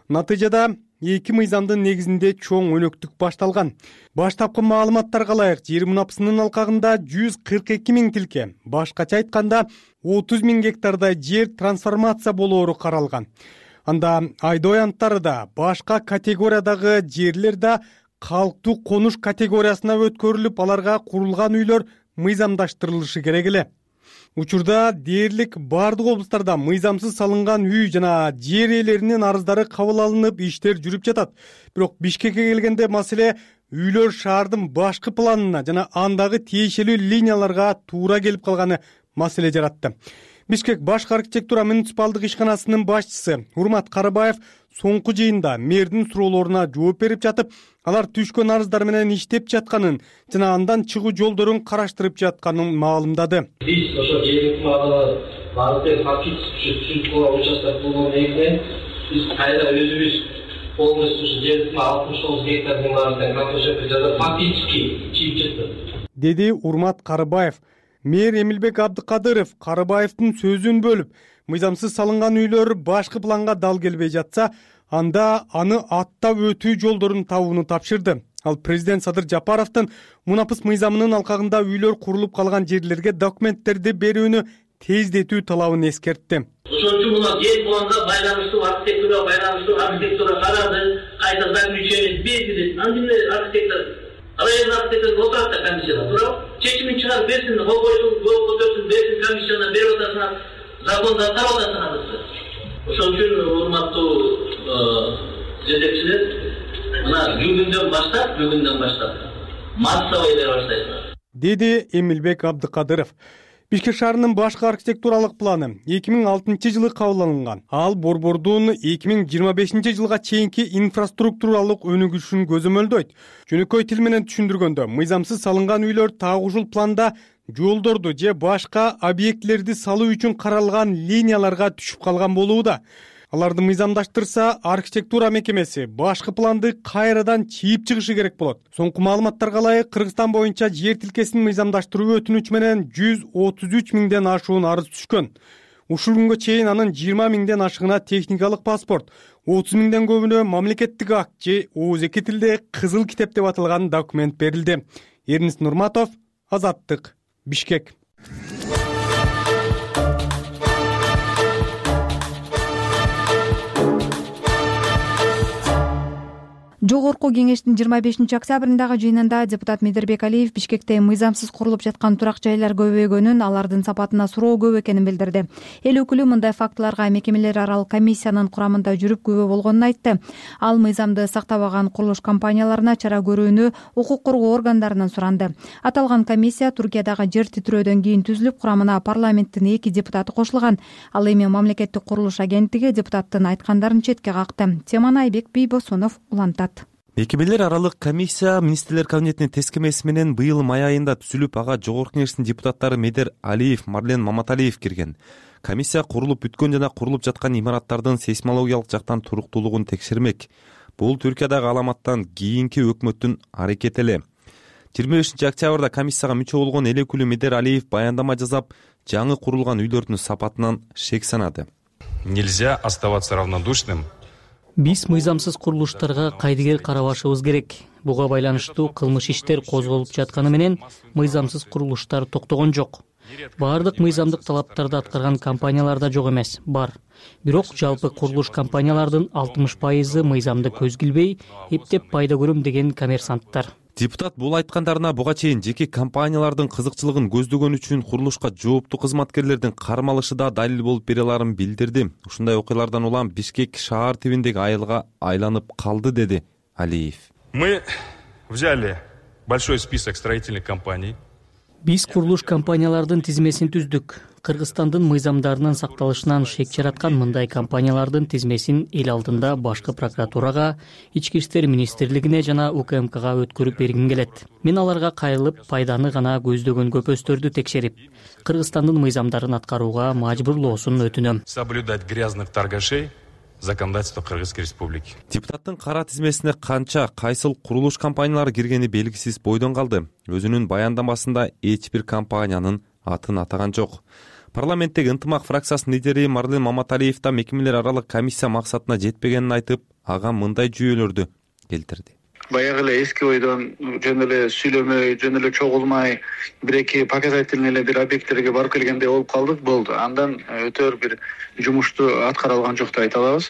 Натыйжада эки мыйзамдын негизинде чоң өнөктүк башталган. Баштапкы маалыматтарга ылайык жер мунапысынын алкагында 142 000 тилке, башкача айтканда 30 000 гектардай жер трансформация болоору каралган. Анда айдоо аянттары да, башка категориядагы жерлер да калктуу конуш категориясына өткөрүлүп, аларга курулган үйлөр мыйзамдаштырылышы керек эле. Учурда дээрлик бардык облустарда мыйзамсыз салынган үй жана жер ээлеринин арыздары кабыл алынып, иштер жүрүп жатат. Бирок Бишкекке келгенде маселе үйлөр шаардын башкы планына жана андагы тиешелүү линияларга туура келип калганы маселе жаратты. Бишкек башкы архитектура муниципалдык ишканасынын башчысы Урмат Карыбаев соңку жыйында мэрдин суроолоруна жооп берип жатып, алар түшкөн арыздар менен иштеп жатканын жана андан чыгуу жолдорун караштырып жатканын маалымдады. Биз ошо жергиликтүү маалыматтарды фактически түшүнүп участок болгон негизинен биз кайра өзүбүз полностью жердин 69 гектардын баарында картошка жасап фактически чийип чыктык, деди Урмат Карыбаев. Мэр Эмилбек Абдыкадыров Карыбаевдин сөзүн бөлүп, мыйзамсыз салынган үйлөр башкы планга дал келбей жатса, анда аны аттап өтүү жолдорун табууну тапшырды. Ал президент Садыр Жапаровдун мунапыс мыйзамынын алкагында үйлөр курулуп калган жерлерге документтерди берүүнү тездетүү талабын эскертти. Ошон үчүн мына жер планга байланыштуу архитектура карады, кайта заключение берди. Андемде район архитектор отурат да комиссияда туурабы? Чечимин чыгарып берсин, кол көтөрсүн, берсин комиссияна берип атасыңар, законду атап атасыңар. Ошон үчүн урматтуу жетекчилер, мына бүгүндөн баштап массовый бере баштайсыңар, деди Эмилбек Абдыкадыров. Бишкек шаарынын башкы архитектуралык планы 2006 жылы кабыл алынган. Ал борбордун 2025 жылга чейинки инфраструктуралык өнүгүшүн көзөмөлдөйт. Жөнөкөй тил менен түшүндүргөндө, мыйзамсыз салынган үйлөр так ушул планда жолдорду же башка объектилерди салуу үчүн каралган линияларга түшүп калган болууда. Аларды мыйзамдаштырса, архитектура мекемеси башкы планды кайрадан чийип чыгышы керек болот. Соңку маалыматтарга ылайык, Кыргызстан боюнча жер тилкесин мыйзамдаштыруу өтүнүч менен 133 000ден ашуун арыз түшкөн. Ушул күнгө чейин анын 20 000ден ашыгына техникалык паспорт, 30 000ден көбүнө мамлекеттик акт же ооз эки тилде кызыл китеп деп аталган документ берилди. Эрнис Нурматов, Азаттык, Бишкек. Жогорку Жогорку кеңештин 25-октябрындагы жыйынында депутат Медербек Алиев Бишкекте мыйзамсыз курулуп жаткан турак жайлар көбөйгөнүн, алардын сапатына суроо көп экенин билдирди. Эл өкүлү мындай фактыларга мекемелер аралык комиссиянын курамында жүрүп күбө болгонун айтты. Ал мыйзамды сактабаган курулуш компанияларына чара көрүүнү укук коргоо органдарынан суранды. Аталган комиссия Туркиядагы жер титирөөдөн кийин түзүлүп, курамына парламенттин 2 депутаты кошулган. Ал эми мамлекеттик курулуш агенттиги депутаттын айткандарын четке какты. Теманы Айбек Бийбосунов улантат. Мекемелер аралык комиссия министрлер кабинетинин тескемеси менен быйыл май айында түзүлүп, ага жогорку кеңештин депутаттары Медер Алиев, Марлен Маматалиев кирген. Комиссия курулуп бүткөн жана курулуп жаткан имараттардын сейсмологиялык жактан туруктуулугун текшермек. Бул Түркиядагы аламаттан кийинки өкмөттүн аракети эле. 25-октябрда комиссияга мүчө болгон эл өкүлү Медер Алиев баяндама жасап, жаңы курулган үйлөрдүн сапатынан шек санады. Нельзя оставаться равнодушным. Биз мыйзамсыз курулуштарга кайдыгер карабашыбыз керек. Буга байланыштуу кылмыш иштер козголуп жатканы менен мыйзамсыз курулуштар токтогон жок. Баардык мыйзамдык талаптарды аткарган компаниялар да жок эмес, бар. Бирок жалпы курулуш компаниялардын 60% мыйзамды көзгө илбей, эптеп пайда көрөм деген коммерсанттар. Депутат бул айткандарына буга чейин жеке компаниялардын кызыкчылыгын көздөгөн үчүн курулушка жооптуу кызматкерлердин кармалышы да далил болуп бере аларын билдирди. Ушундай окуялардан улам Бишкек шаар тибиндеги айылга айланып калды, деди Алиев. Мы взяли большой список строительных компаний. Биз курулуш компаниялардын тизмесин түздүк. Кыргызстандын мыйзамдарынын сакталышынан шек жараткан мындай компаниялардын тизмесин эл алдында башкы прокуратурага, Ички иштер министрлигине жана УКМКга өткөрүп бергим келет. Мен аларга кайрылып, пайданы гана көздөгөн көпөстөрдү текшерип, Кыргызстандын мыйзамдарын аткарууга мажбурлоосун өтүнөм. Соблюдать грязных торгашей законодательство Кыргызской республики. Депутаттын кара тизмесине канча, кайсыл курулуш компаниялары киргени белгисиз бойдон калды. Өзүнүн баяндамасында эч бир компаниянын атын атаган жок. Парламенттеги ынтымак фракциясынын лидери Марлен Маматалиев да мекемелер аралык комиссия максатына жетпегенин айтып, ага мындай жүйөлөрдү келтирди. Баягы эле эски ойдон жөн эле сүйлөмөй, жөн эле чогулмай, бир-эки показательный эле бир объекттерге барып келгендей болуп калдык, болду. Андан өтөр бир жумушту аткара алган жок деп айта алабыз.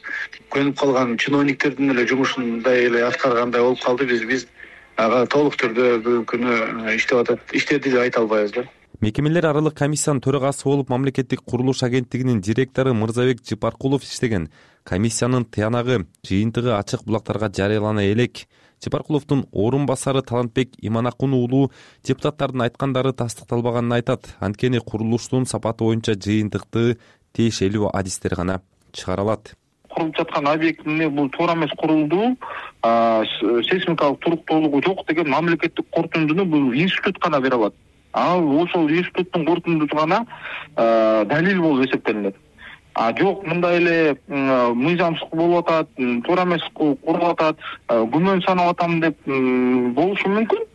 Көнүп калган чиновниктердин эле жумушундай эле аткаргандай болуп калды. Биз ага толук түрдө бүгүнкү күнү иштеди деп айта албайбыз да. Мекемелер аралык комиссиянын төрагасы болуп мамлекеттик курулуш агенттигинин директору Мырзабек Жыпаркулов иштеген. Комиссиянын тыянагы, жыйынтыгы ачык булактарга жарыялана элек. Жыпаркуловдун орун басары Талантбек Иманакун уулу депутаттардын айткандары тастыкталбаганын айтат. Анткени курулуштун сапаты боюнча жыйынтыкты тиешелүү адистер гана чыгара алат. Курулуп жаткан объектине бул туура эмес курулду, сейсмикалык туруктуулугу жок деген мамлекеттик корутундуну бул институт гана бере алат. Ал ошол институттун корутундусу гана далил болуп эсептелинет. Жок, мындай эле мыйзамсыз болуп атат, туура эмес курулуп атат, күмөн санап атам деп болушу мүмкүн.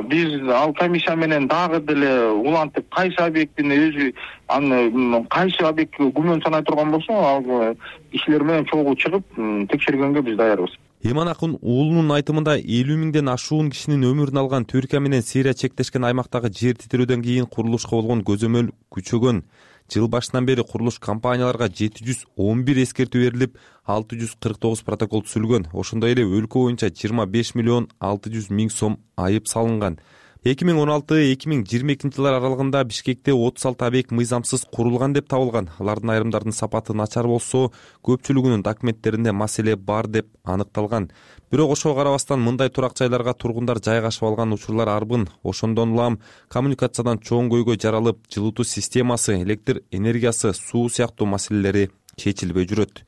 Биз ал комиссия менен дагы деле улантып, кайсы объектини өзү аны кайсы объектке күмөн санай турган болсо, ал кишилер менен чогуу чыгып текшергенге биз даярбыз. Иманакун уулунун айтымында 50 миңден ашуун кишинин өмүрүн алган Түркия менен Сирия чектешкен аймактагы жер титирөөдөн кийин курулушка болгон көзөмөл күчөгөн. Жыл башынан бери курулуш компанияларга 711 эскертүү берилип, 649 протокол түзүлгөн. Ошондой эле өлкө боюнча 25 миллион 600 миң сом айып салынган. 2016-2022 жылдар аралыгында Бишкекте 36 объект мыйзамсыз курулган деп табылган. Алардын айрымдарынын сапаты начар болсо, көпчүлүгүнүн документтеринде маселе бар деп аныкталган. Бирок ошого карабастан мындай турак жайларга тургундар жайгашып алган учурлар арбын. Ошондон улам коммуникациядан чоң көйгөй жаралып, жылытуу системасы, электр энергиясы, суу сыяктуу маселелери чечилбей жүрөт.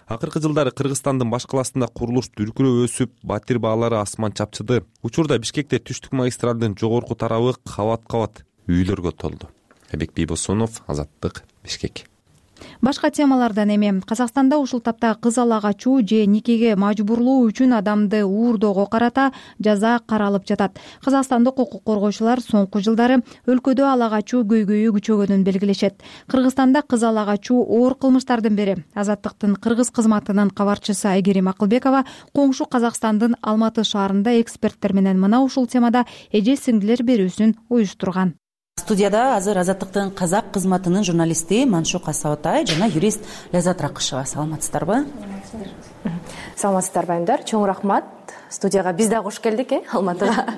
Акыркы жылдары Кыргызстандын баш каласында курулуш дүркүрөө өсүп, батир баалары асман чапчыды. Учурда Бишкекте түштүк магистралдын жогорку тарабы кабат-кабат үйлөргө толду. Айбек Бийбосунов, Азаттык, Бишкек. Башка темалардан эми Казакстанда ушул тапта кыз ала качуу же никеге мажбурлоо үчүн адамды уурдоого карата жаза каралып жатат. Казакстандык укук коргоочулар соңку жылдары өлкөдө ала качуу көйгөйү күчөгөнүн белгилешет. Кыргызстанда кыз ала качуу оор кылмыштардын бири. Азаттыктын кыргыз кызматынын кабарчысы Айгерим Акылбекова коңшу Казакстандын Алматы шаарында эксперттер менен мына ушул темада эже сиңдилер берүүсүн уюштурган. Студияда азыр Азаттыктын казак кызматынын журналисти Маншук Асаотай жана юрист Ляззат Ракышева. Саламатсыздарбы? Саламатсыздарбы айымдар. Чоң рахмат. Студияга биз да кош келдик, Алматыга.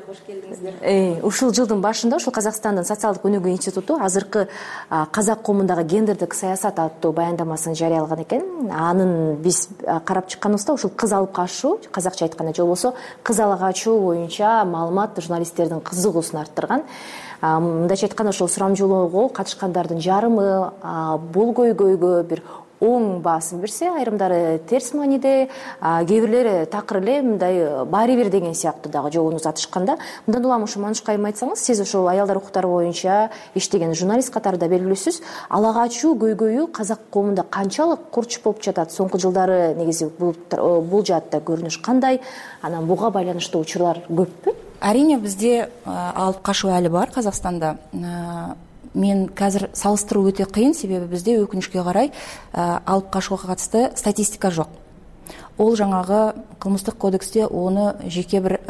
Кош келдиңиздер. Ушул жылдын башында ушул Казакстандын социалдык өнүгүү институту азыркы казак коомундагы гендердик саясат аттуу баяндамасын жарыялаган экен. Анын биз карап чыкканыбызда ушул кыз алып качуу, казакча айтканда же болбосо кыз ала качуу боюнча маалымат журналисттердин кызыгуусун арттырган. Мындайча айтканда ошол сурамжылоого катышкандардын жарымы бул көйгөйгө бир оң баасын берсе, айрымдары терс мааниде, кээ бирлери такыр эле мындай баары бир деген сыяктуу дагы жообун узатышканда. Мындан улам ушу Маншук айым айтсаңыз, сиз ошол аялдар укуктары боюнча иштеген журналист катарында белгилүүсүз. Ала качуу көйгөйү казак коомунда канчалык курч болуп жатат? Соңку жылдары негизи бул жаатта көрүнүш кандай? Анан буга байланыштуу учурлар көппү? Арине бизде алып качуу али бар Казакстанда. Мен қазір салыстыруу өте кыйын, себеби бизде өкүнүчкө карай алып качууга катысты статистика жок. Ол жаңагы кылмыштык кодексте оны жеке бир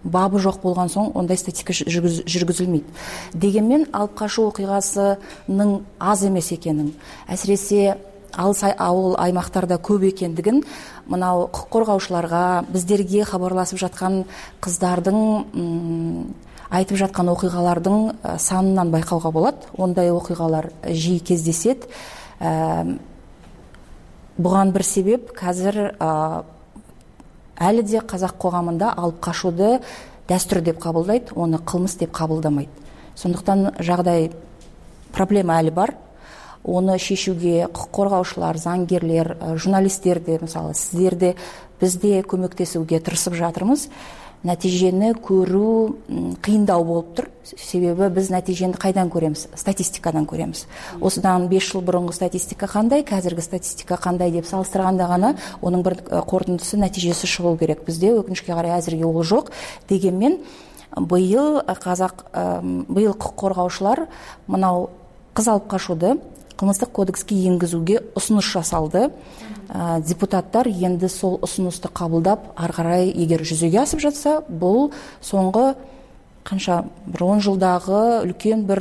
бабы жок болгон соң ондай статистика жүргүзүлмөйт. Дегенмен алып качуу окуйгасынын аз эмес экенин, әсіресе ауыл аймактарда көп экендигин мынау укук коргоочуларга, биздерге кабарласып жаткан кыздардын айтып жаткан окуйгалардын санынан байкауга болот. Ондай окуйгалар жиі кездесет. Буган бир себеп қазір әлі де казак коомунда алып качууду дәстүр деп кабылдайт, оны кылмыс деп кабылдамайт. Сондуктан жагдай проблема әлі бар. Оны шешүүгө укук коргоочулар, заңгерлер, журналисттерди, мисалы сиздерди бизде көмөктесүүгө тырышып жатырмыз. Натижени көрүү кыйындау болуп тур. Себеби биз натижени кайдан көрөбүз? Статистикадан көрөбүз. Осудан 5 жыл мурунку статистика кандай, казыркы статистика кандай деп салыштырганда гана онун бир корутундусу, натижеси чыгуу керек. Бизде өкүнүчкө карай азыркы ол жок. Дегенмен быйыл укук коргоочулар мынау кыз алып качууду кылмыштык кодекске энгизүүгө усунуш жасалды. Депутаттар енді сол ұсынысты қабылдап, ары қарай егер жүзеге асып жатса, бұл соңғы канча бир 10 жылдагы үлкен бир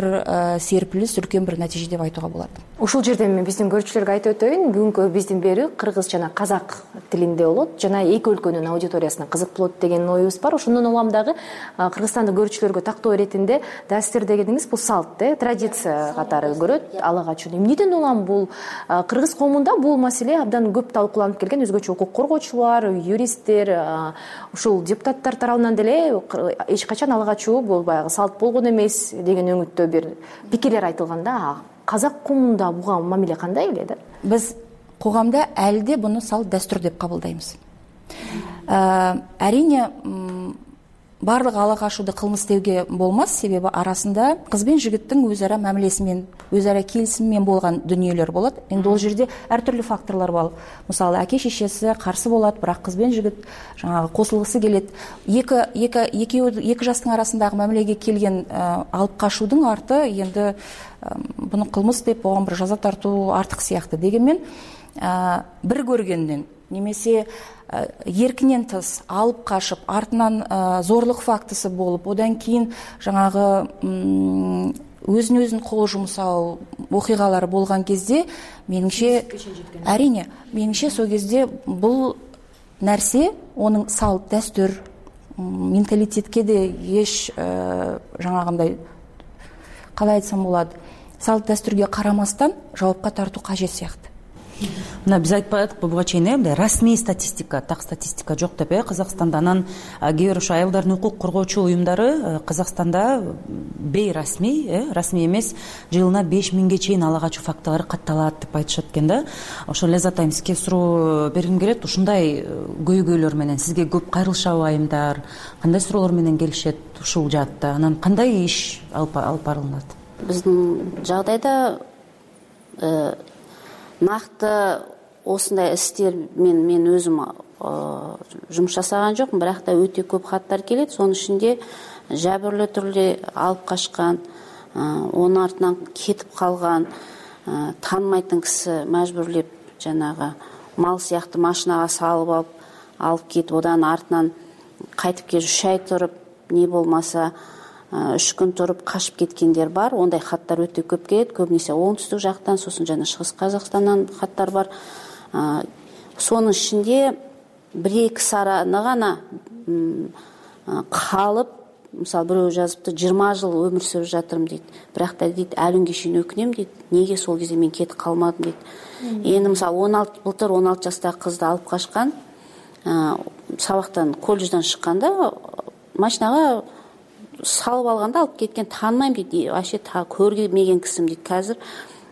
серпилис, үлкен бир натыйжа деп айтууга болот. Ушул жерден мен биздин көрүүчүлөргө айтып өтөйүн. Бүгүнкү биздин берүү кыргыз жана казак тилинде болот. Жана эки өлкөнүн аудиториясына кызык болот деген оюбуз бар. Ошондон улам дагы Кыргызстандык көрүүчүлөргө тактоо иретинде дәстүр дегениңиз бул салт, традиция катары көрөт. Ала качууну эмнеден улам бул кыргыз коомунда бул маселе абдан көп талкууланып келген. Өзгөчө укук коргоочулар, юристтер, ушул депутаттар тарабынан деле эч качан ала качуу бул баягы салт болгон эмес деген өңүттө бир пикирлер айтылганда, казак коомунда буга мамиле кандай эле да? Биз коомдо әлі де буну салт дәстүр деп кабылдайбыз. Әрине барлык ала качууду кылмыс деуге болмас, себеби арасында кыз бен жигиттин өз ара мамилеси менен, өз ара келисими менен болгон дүниелер болот. Эми ол жерде ар түрлүү факторлор бар. Мисалы, аке шешеси каршы болот, бирок кыз бен жигит жаңагы косулгысы келет. Эки жастын арасындагы мамилеге келген алып качуудун арты енді буну кылмыс деп оған бір жаза тартуу артык сыяктуу. Дегенмен бир көргөндөн немесе еркинен тыс алып качып, артынан зорлук фактысы болуп, одан кийин жаңагы өзүн кол жумсау окуйгалары болгон кезде, менимче, әрине, менимче сол кезде бул нерсе, онун салт, дәстүр, менталитетке де еш жаңагындай калай айтсам болот, салт дәстүргө карамастан жоопко тартуу кажет сыяктуу. Мына биз айтпадык буга чейин мындай расмий статистика, так статистика жок деп Казакстанда. Анан кээ бир ошо аялдардын укук коргоочу уюмдары Казакстанда бейрасмий, расмий эмес, жылына 5000ге чейин ала качуу фактылары катталат деп айтышат экен да. Ошо Ляззат айым, сизге суроо бергим келет. Ушундай көйгөйлөр менен сизге көп кайрылышабы айымдар? Кандай суроолор менен келишет ушул жаатта? Анан кандай иш алып барылат? Биздин жагдайда накты осындай істер мен өзім жұмыс жасаған жоқпын, бірақ та өте көп хаттар келет. Сонун ичинде жабырлы түрде алып качкан, онун артынан кетип калган, таанымайтын киши мажбурлеп жанагы мал сыяктуу машинага салып алып кетип, одан артынан кайтып келип 3 ай туруп, не болмаса 3 күн туруп качып кеткендер бар. Ондай хаттар өтө көп келет. Көбүнесе оңтүстүк жактан, сосын жана Чыгыс Казакстандан хаттар бар. Сонун ичинде 1-2 сараны гана калып, мисалы бирөө жазыпты, 20 жыл өмүр сүрүп жатырмын дейт. Бирок да дейт, әлі күнгө чейин өкүнөм дейт. Неге сол кезде мен кетип калмадым дейт. Эми мисалы былтыр 16 жастагы кызды алып качкан, сабактан, колледжден чыкканда машинага салып алганда алып кеткен, таанымайм дейт. Вообще көрмеген кисим дейт казыр.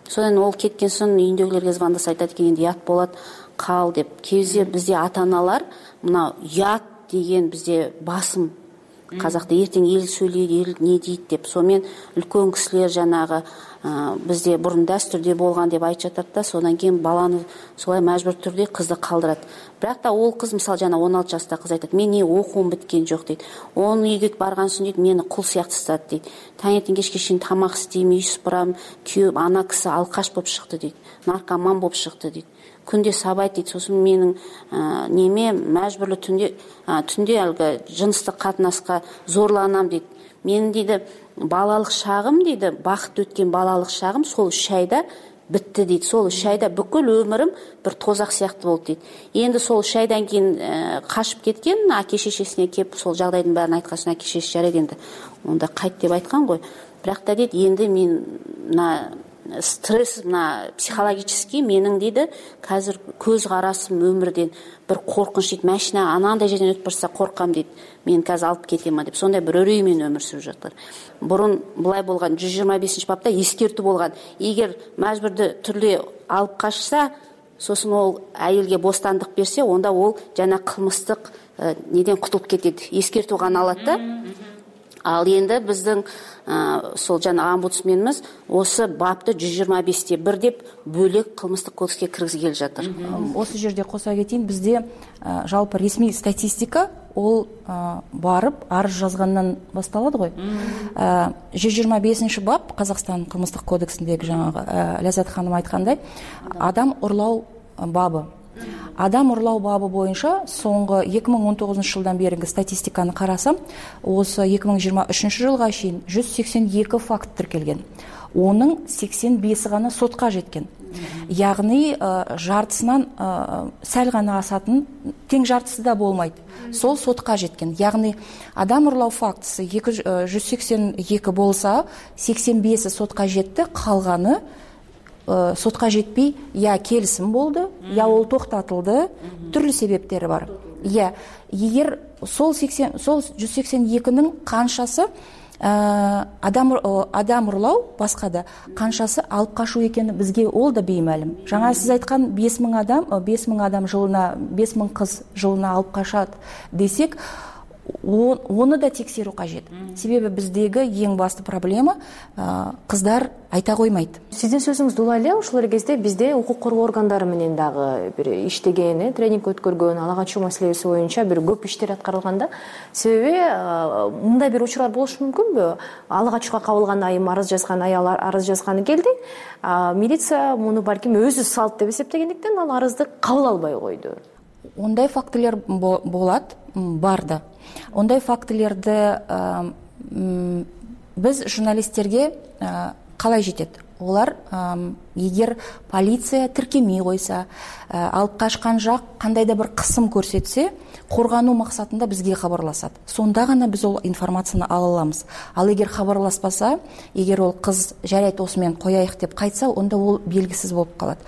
Содан ол кеткен соң үйүндөгүлөргө звондаса айтат экен, энди ят болот, кал деп. Кезде бизде ата-аналар мына ят деген бизде басым. Казакта эртең эл сүйлөйт, эл не дейт деп. Сонымен үлкөн кисилер жанагы бизде бурун дәстүрдө болгон деп айтып жатат да, содан кийин баланы солай мажбур түрдө кызды калдырат. Бирок да ол кыз мисалы жана 16 жашта кыз айтат, мен окуум биткен жок дейт. Onun үйгө барган соң дейт, мени кул сыяктуу сатат дейт. Таңертең кечке чейин тамак истейм, үй сыпырам, күйөөм, ана киси алкаш болуп чыкты дейт. Наркоман болуп чыкты дейт. Күндө сабайт дейт. Сосын менин неме мажбурлуу түндө алгы жыныстык катнаска зорланам дейт. Менин дейди балалык шагым дейди, бакыт өткөн балалык шагым сол 3 айда битти дейт. Сол 3 айда бүкүл өмүрүм бир тозак сыяктуу болду дейт. Энди сол 3 айдан кийин качып кеткен, аке шешесине кеп сол жагдайдын баарын айткан соң аке шешеси жарайт энди онда кайт деп айткан го. Бирок да дейт, энди мен стресс психологический менин дейди казыр көз карасым өмүрдөн бир коркунуч дейт. Машина анандай жерден өтүп барса коркам дейт. Мен казыр алып кетем деп. Сондай бир өрөй менен өмүр сүрүп жатыр. Бурун булай болгон 125-бапта эскертүү болгон. Эгер мажбурдуу түрдө алып качса, сосын ол айылге бостандык берсе, онда ол жана кылмыстык неден кутулуп кетет. Эскертүү гана алат да. Ал енді біздің сол жана омбудсменimiz осы бапты 125-1 деп бөлек кылмыстык кодекске киргизип келе жатыр. Осы жерде қоса кетейин, бізде жалпы ресми статистика ол барып арыз жазгандан басталады ғой. 125 бап Қазақстан кылмыстык кодексиндеги жаңағы Ляззат ханым айткандай адам урлау бабы. Адам урлау бабы боюнча соңғы 2019 жылдан беринги статистиканы карасам, осы 2023 жылга чейин 182 факт тиркелген. Оның 85 гана сотқа жеткен. Яғни жартысынан сәл гана асатын, тең жартысы да болмайды. Сол сотқа жеткен. Яғни адам урлау фактысы 182 болса, 85-і сотқа жетті, қалғаны сотқа жетпей, я келісім болды, я ол тоқтатылды, түрлі себептері бар. Егер сол 182-нің қаншасы адам ұрлау, басқада қаншасы алып қашу екені бізге ол да беймәлім. Жаңа сіз айтқан 5000 адам жылына, 5000 қыз жылына алып қашады десек, оны да тексеру қажет. Себебі біздегі ең басты проблема қыздар айта қоймайды. Сиздин сөзүңүз улай эле ушул кезде бизде укук коргоо органдары менен дагы бир иштеген, тренинг өткөргөн, ала качуу маселеси боюнча бир көп иштер аткарылганда, себеби мындай бир учурлар болушу мүмкүнбү? Ала качууга кабылган айым арыз жазган, аял арыз жазганы келди. Милиция муну балким өзү салт деп эсептегендиктен ал арызды кабыл албай койду. Ондай фактылар болот, бар да. Ондай фактыларды біз журналисттерге қалай жетет? Олар егер полиция тіркемей қойса, алып қашқан жақ қандай да бір қысым көрсетсе, қорғану мақсатында бізге хабарласады. Сонда ғана біз ол информацияны ала аламыз. Ал егер хабарласпаса, егер ол қыз жарайды осымен қояйық деп қайтса, онда ол белгісіз болып қалады.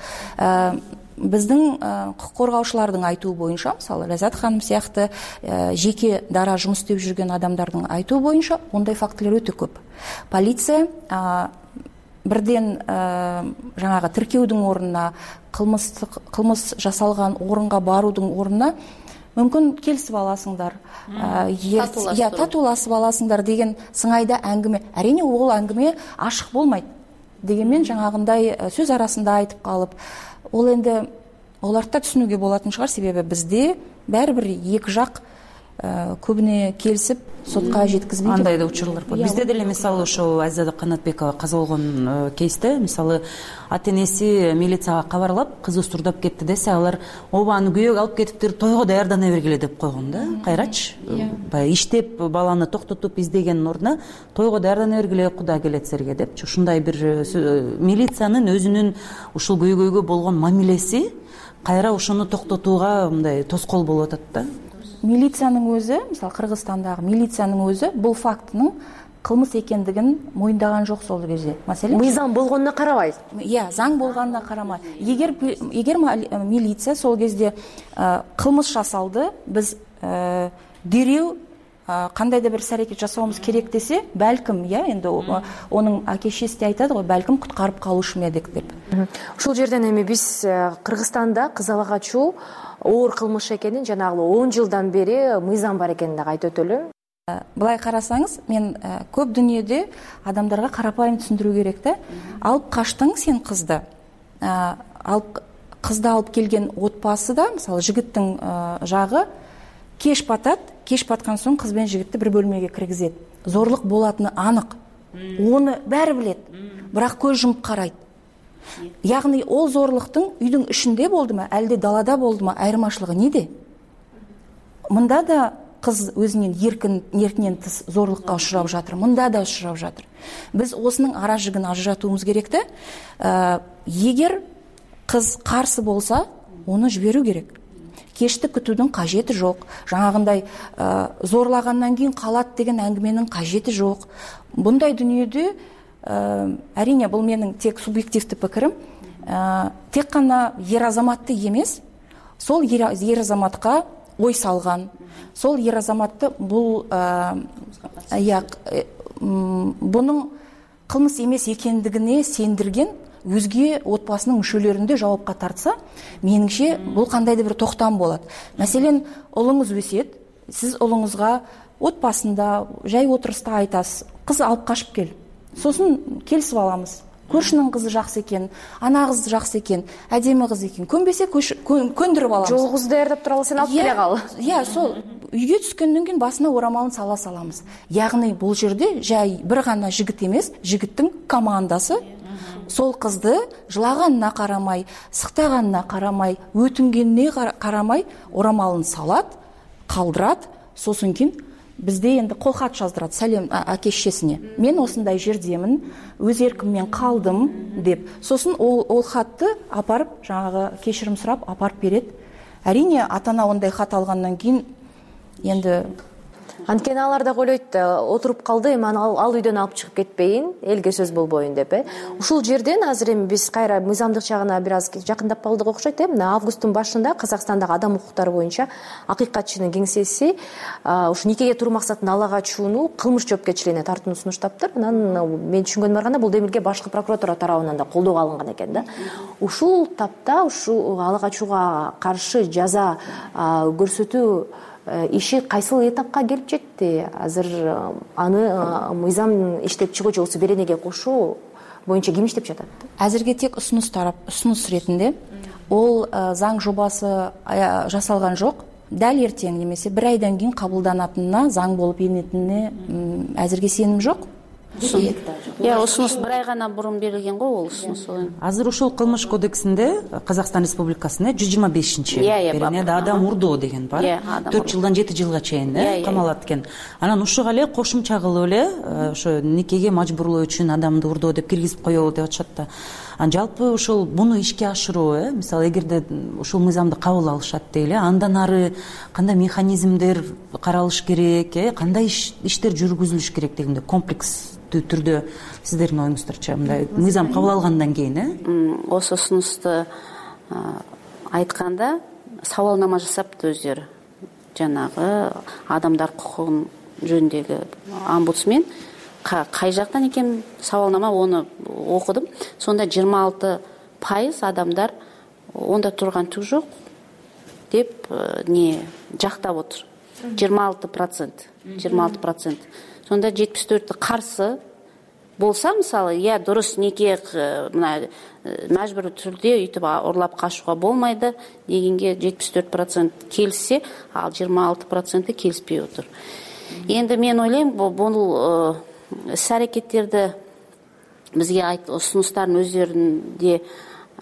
Біздің құқық қорғаушылардың айтуы бойынша, мысалы Ляззат ханым сияқты жеке дара жұмыс істеп жүрген адамдардың айтуы бойынша, ондай фактілер өте көп. Полиция бірден жаңағы тіркеудің орнына, қылмыс жасалған орынға барудың орнына мүмкін келісіп аласыңдар, татуласып аласыңдар деген сыңайда әңгіме. Әрине ол әңгіме ашық болмайды. Дегенмен жаңағындай сөз арасында айтып қалып, ол енді оларды да түсінуге болатын шығар, себебі бізде бәрібір екі жақ көбүнө келишип сотко жеткизбейт. Андай да учурлар бар. Бизде деле мисалы ошо Азиза Канатбекова каза болгон кейсте мисалы ата энеси милицияга кабарлап кызы устурдап кетти десе, алар ооба аны күйөөгө алып кетиптир, тойго даярдана бергиле деп койгон да. Кайрачы баягы иштеп баланы токтотуп издегендин ордуна тойго даярдана бергиле, Кудай келет силерге депчи. Ушундай бир милициянын өзүнүн ушул көйгөйгө болгон мамилеси кайра ошону токтотууга мындай тоскоол болуп атат да. Милициянын өзү, мисалы Кыргызстандагы милициянын өзү бул фактынын кылмыс экендигин моюндаган жок сол кезде. Маселен, мыйзам болгонуна карабай. Заң болгонуна карамай. Эгер милиция сол кезде кылмыш жасалды, биз дереу кандайдыр бир аракет жасообуз керек десе, балким, энди онун аке-шешеси де айтады го, балким куткарып калышы медик деп. Ушул жерден эми биз Кыргызстанда кыз ала качуу оор кылмыш экенин, жанагы 10 жылдан бери мыйзам бар экенин дагы айтып өтөлү. Былай карасаңыз, мен көп дүйнөдө адамдарга карапайым түшүндүрүү керек да. Алып качтың сен кызды. Кызды алып келген отбасыда, мисалы жигиттин жагы кеш батат, кеш баткан соң кыз менен жигитти бир бөлмөгө киргизет. Зорлук болатыны анык. Оны баары билет. Бирок көз жумуп карайт. Ягни ол зорлуктун үйдүн ичинде болдуму, әлде далада болдуму, айырмашылыгы неде? Мында да кыз өзүнүн эркинен тыс зорлукка учурап жатыр, мында да учурап жатыр. Биз осунун ара жигин ажыратуубуз керек да. Эгер кыз карсы болса, оны жиберүү керек. Кешти күтүүдүн кажети жок. Жаңагындай зорлагандан кийин калат деген әңгіменің кажети жок. Bunday дүниеде әрине бул менин тек субъективдүү пикирим. Тек гана ер азаматты эмес, сол ер азаматка ой салган, сол ер азаматты бул бунун кылмыс эмес экендигине сендирген өзге отбасынын мүшөлөрүндө жауапка тартса, менимче бул кандайдыр бир токтам болот. Маселен, улуңуз өсөт, сиз улуңузга отбасында жай отуруста айтасыз, кыз алып качып кел. Сосын келисип аламыз. Көршүнүн кызы жакшы экен, ана кыз жакшы экен, адеми кыз экен. Көнбесе көндүрүп алабыз. Жолугузду даярдап туралы сен алып келе кал. Сол үйгө түшкөндөн кийин басына орамалын сала саламыз. Ягни бул жерде жай бир гана жигит эмес, жигиттин командасы сол кызды жылаганына карамай, сыктаганына карамай, өтүнгенине карамай орамалын салат, калдырат, сосын кийин бизде энди кол кат жаздырат, салем аке-шешесине. Мен осындай жердемин, өз эркиммен калдым деп. Сосын ол хатты апарып, жаңагы кечирим сурап апарып берет. Әрине, ата-ана ондай хат алгандан кийин енді анткени алар да ойлойт, отуруп калды, эми ал үйдөн алып чыгып кетпейин, элге сөз болбоюн деп. Ушул жерден азыр эми биз кайра мыйзамдык жагына бир аз жакындап калдык окшойт. Мына августтун башында Казакстандагы адам укуктары боюнча акыйкатчынын кеңсеси ушу никеге туруу максатында ала качууну кылмыш жоопкерчилигине тартууну сунуштаптыр. Анан мен түшүнгөнүмө караганда бул демилге башкы прокуратура тарабынан да колдоого алынган экен да. Ушул тапта ушу ала качууга каршы жаза көрсөтүү иши кайсыл этапка келип жетти? Азыр аны мыйзам иштеп чыгуучу болсо беренеге кошуу боюнча ким иштеп жатат? Азырге тек ұсыныс ретинде ол заң жобасы жасалган жок. Дәл эртең немесе бир айдан кийин кабылданатынына, заң болуп энетинине азырге сеним жок. Ұсыныс бир ай гана мурун берилген го, ол ұсыныс. Азыр ушул кылмыш кодексинде Казакстан Республикасында 125 беренеде адам урдоо деген бар. 4 жылдан 7 жылга чейин камалат экен. Анан ушуга эле кошумча кылып эле ошо никеге мажбурлоо үчүн адамды урдоо деп киргизип коелу деп атышат да. Жалпы ушул буну ишке ашыруу, мисалы эгерде ушул мыйзамды кабыл алышат дейли, андан ары кандай механизмдер каралыш керек, кандай иштер жүргүзүлүш керек дегенде комплекс түрдө сиздердин оюңуздарча мындай мыйзам кабыл алгандан кийин осы ұсынысты айтканда сабалнама жасапты өздөрү. Жанагы адамдар кукугун жөнүндөгү омбудсмен кай жактан экен сабалнама, оны окудум. Сонда 26% адамдар онда турган түк жок деп жактап отур. 26%. Сонда 74% каршы болса, мисалы, дурус неке мына мажбур түрдө үйтүп урлап качууга болмайды дегенге 74% келишсе, ал 26% келишпей отур. Енді мен ойлойм, бул іс-әрекеттерді бізге ұсыныстарын өздерінде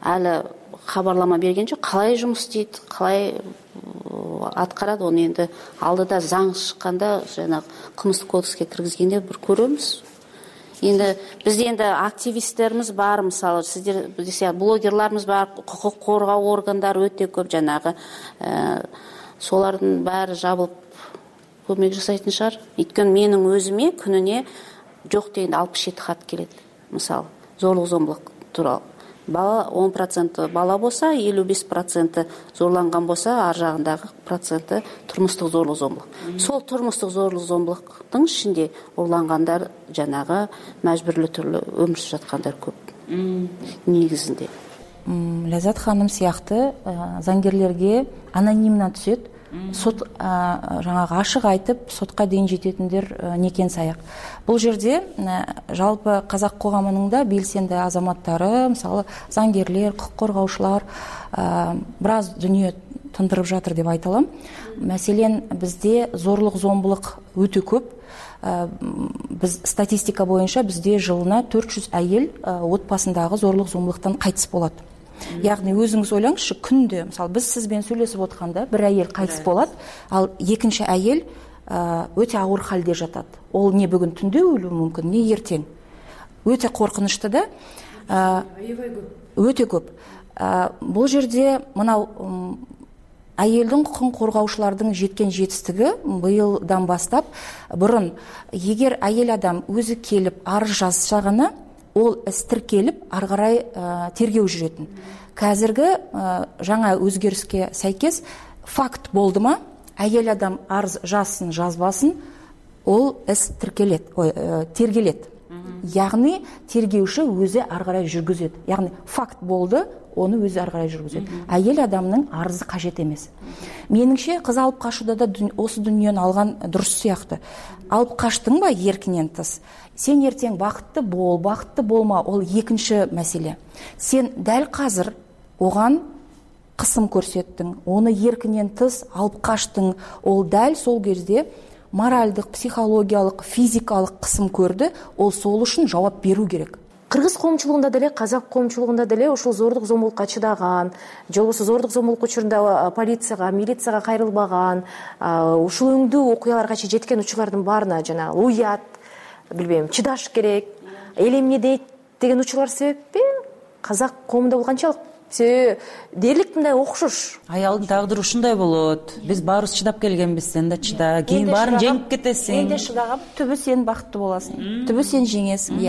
әлі хабарлама берген жоқ. Қалай жұмыс істейді, қалай атқарады, оны енді алдыда заң шыққанда, жаңағы қылмыстық кодекске кіргізгенде бір көреміз. Енді бізде енді активисттеріміз бар, мысалы, сіздер десе блогерларымыз бар, құқық қорғау органдары өте көп, жаңағы солардың бәрі жабылып көмек жасайтын шығар. Өйткені менің өзіме күніне жоқ дегенде 67 хат келеді. Мысалы, зорлық-зомбылық туралы. Бала 10% бала болса, 55% зорланған болса, ар жағындағы проценті тұрмыстық зорлық-зомбылық. Сол тұрмыстық зорлық-зомбылықтың ішінде ұрланғандар, жаңағы мәжбүрлі түрлі өмір сүріп жатқандар көп. Негізінде. Ләззат ханым сияқты заңгерлерге анонимно түседі. Сот жаңағы ашық айтып, сотқа дейін жететіндер некен саяқ. Бұл жерде жалпы қазақ қоғамының да белсенді азаматтары, мысалы заңгерлер, құқық қорғаушылар біраз дүние тындырып жатыр деп айталам. Мәселен, бізде зорлық-зомбылық өте көп. Біз статистика бойынша бізде жылына 400 әйел отбасындағы зорлық-зомбылықтан қайтыс болады. Яғни өзіңіз ойлаңызшы, күнде, мысалы, біз сізбен сөйлесіп отқанда бір әйел қайтыс болады, ал екінші әйел өте ауыр халде жатады. Ол не бүгін түнде өлуі мүмкін, не ертең. Өте қорқынышты да, өте көп. Бұл жерде мынау әйелдің құқын қорғаушылардың жеткен жетістігі биылдан бастап, бұрын егер әйел адам өзі келіп арыз жазса ғана, ол іс тіркеліп, ары қарай тергеу жүретін. Қазіргі жаңа өзгеріске сәйкес факт болды ма, әйел адам арыз жазсын, жазбасын, ол іс тергеледі. Яғни тергеуші өзі ары қарай жүргізеді. Яғни факт болды, оны өзі ары қарай жүргізеді. Әйел адамның арызы қажет емес. Меніңше, қыз алып қашуда да осы дүниені алған дұрыс сияқты. Алып қаштың ба еркінен тыс? Сен ертең бақытты бол, бақытты болма, ол екінші мәселе. Сен дәл қазір оған қысым көрсеттің, оны еркінен тыс алып қаштың, ол дәл сол кезде моральдық, психологиялық, физикалық қысым көрді, ол сол үшін жауап беру керек. Кыргыз коомчулугунда деле, казак коомчулугунда деле ушул зордук-зомбулукка чыдаган, же болбосо зордук-зомбулук учурунда полицияга, милицияга кайрылбаган, ушул өңдүү окуяларга жеткен учурлардын баарына жанагы уят, билбейм, чыдаш керек, эл эмне дейт деген учурлар себеппи казак коомунда бул канчалык дээрлик мындай окшош. Аялдын тагдыры ушундай болот. Биз баарыбыз чыдап келгенбиз, сен да чыда. Кийин баарын жеңип кетесиң. Мен де чыдагам, түбү сен бакыттуу боласың. Түбү сен жеңесиң,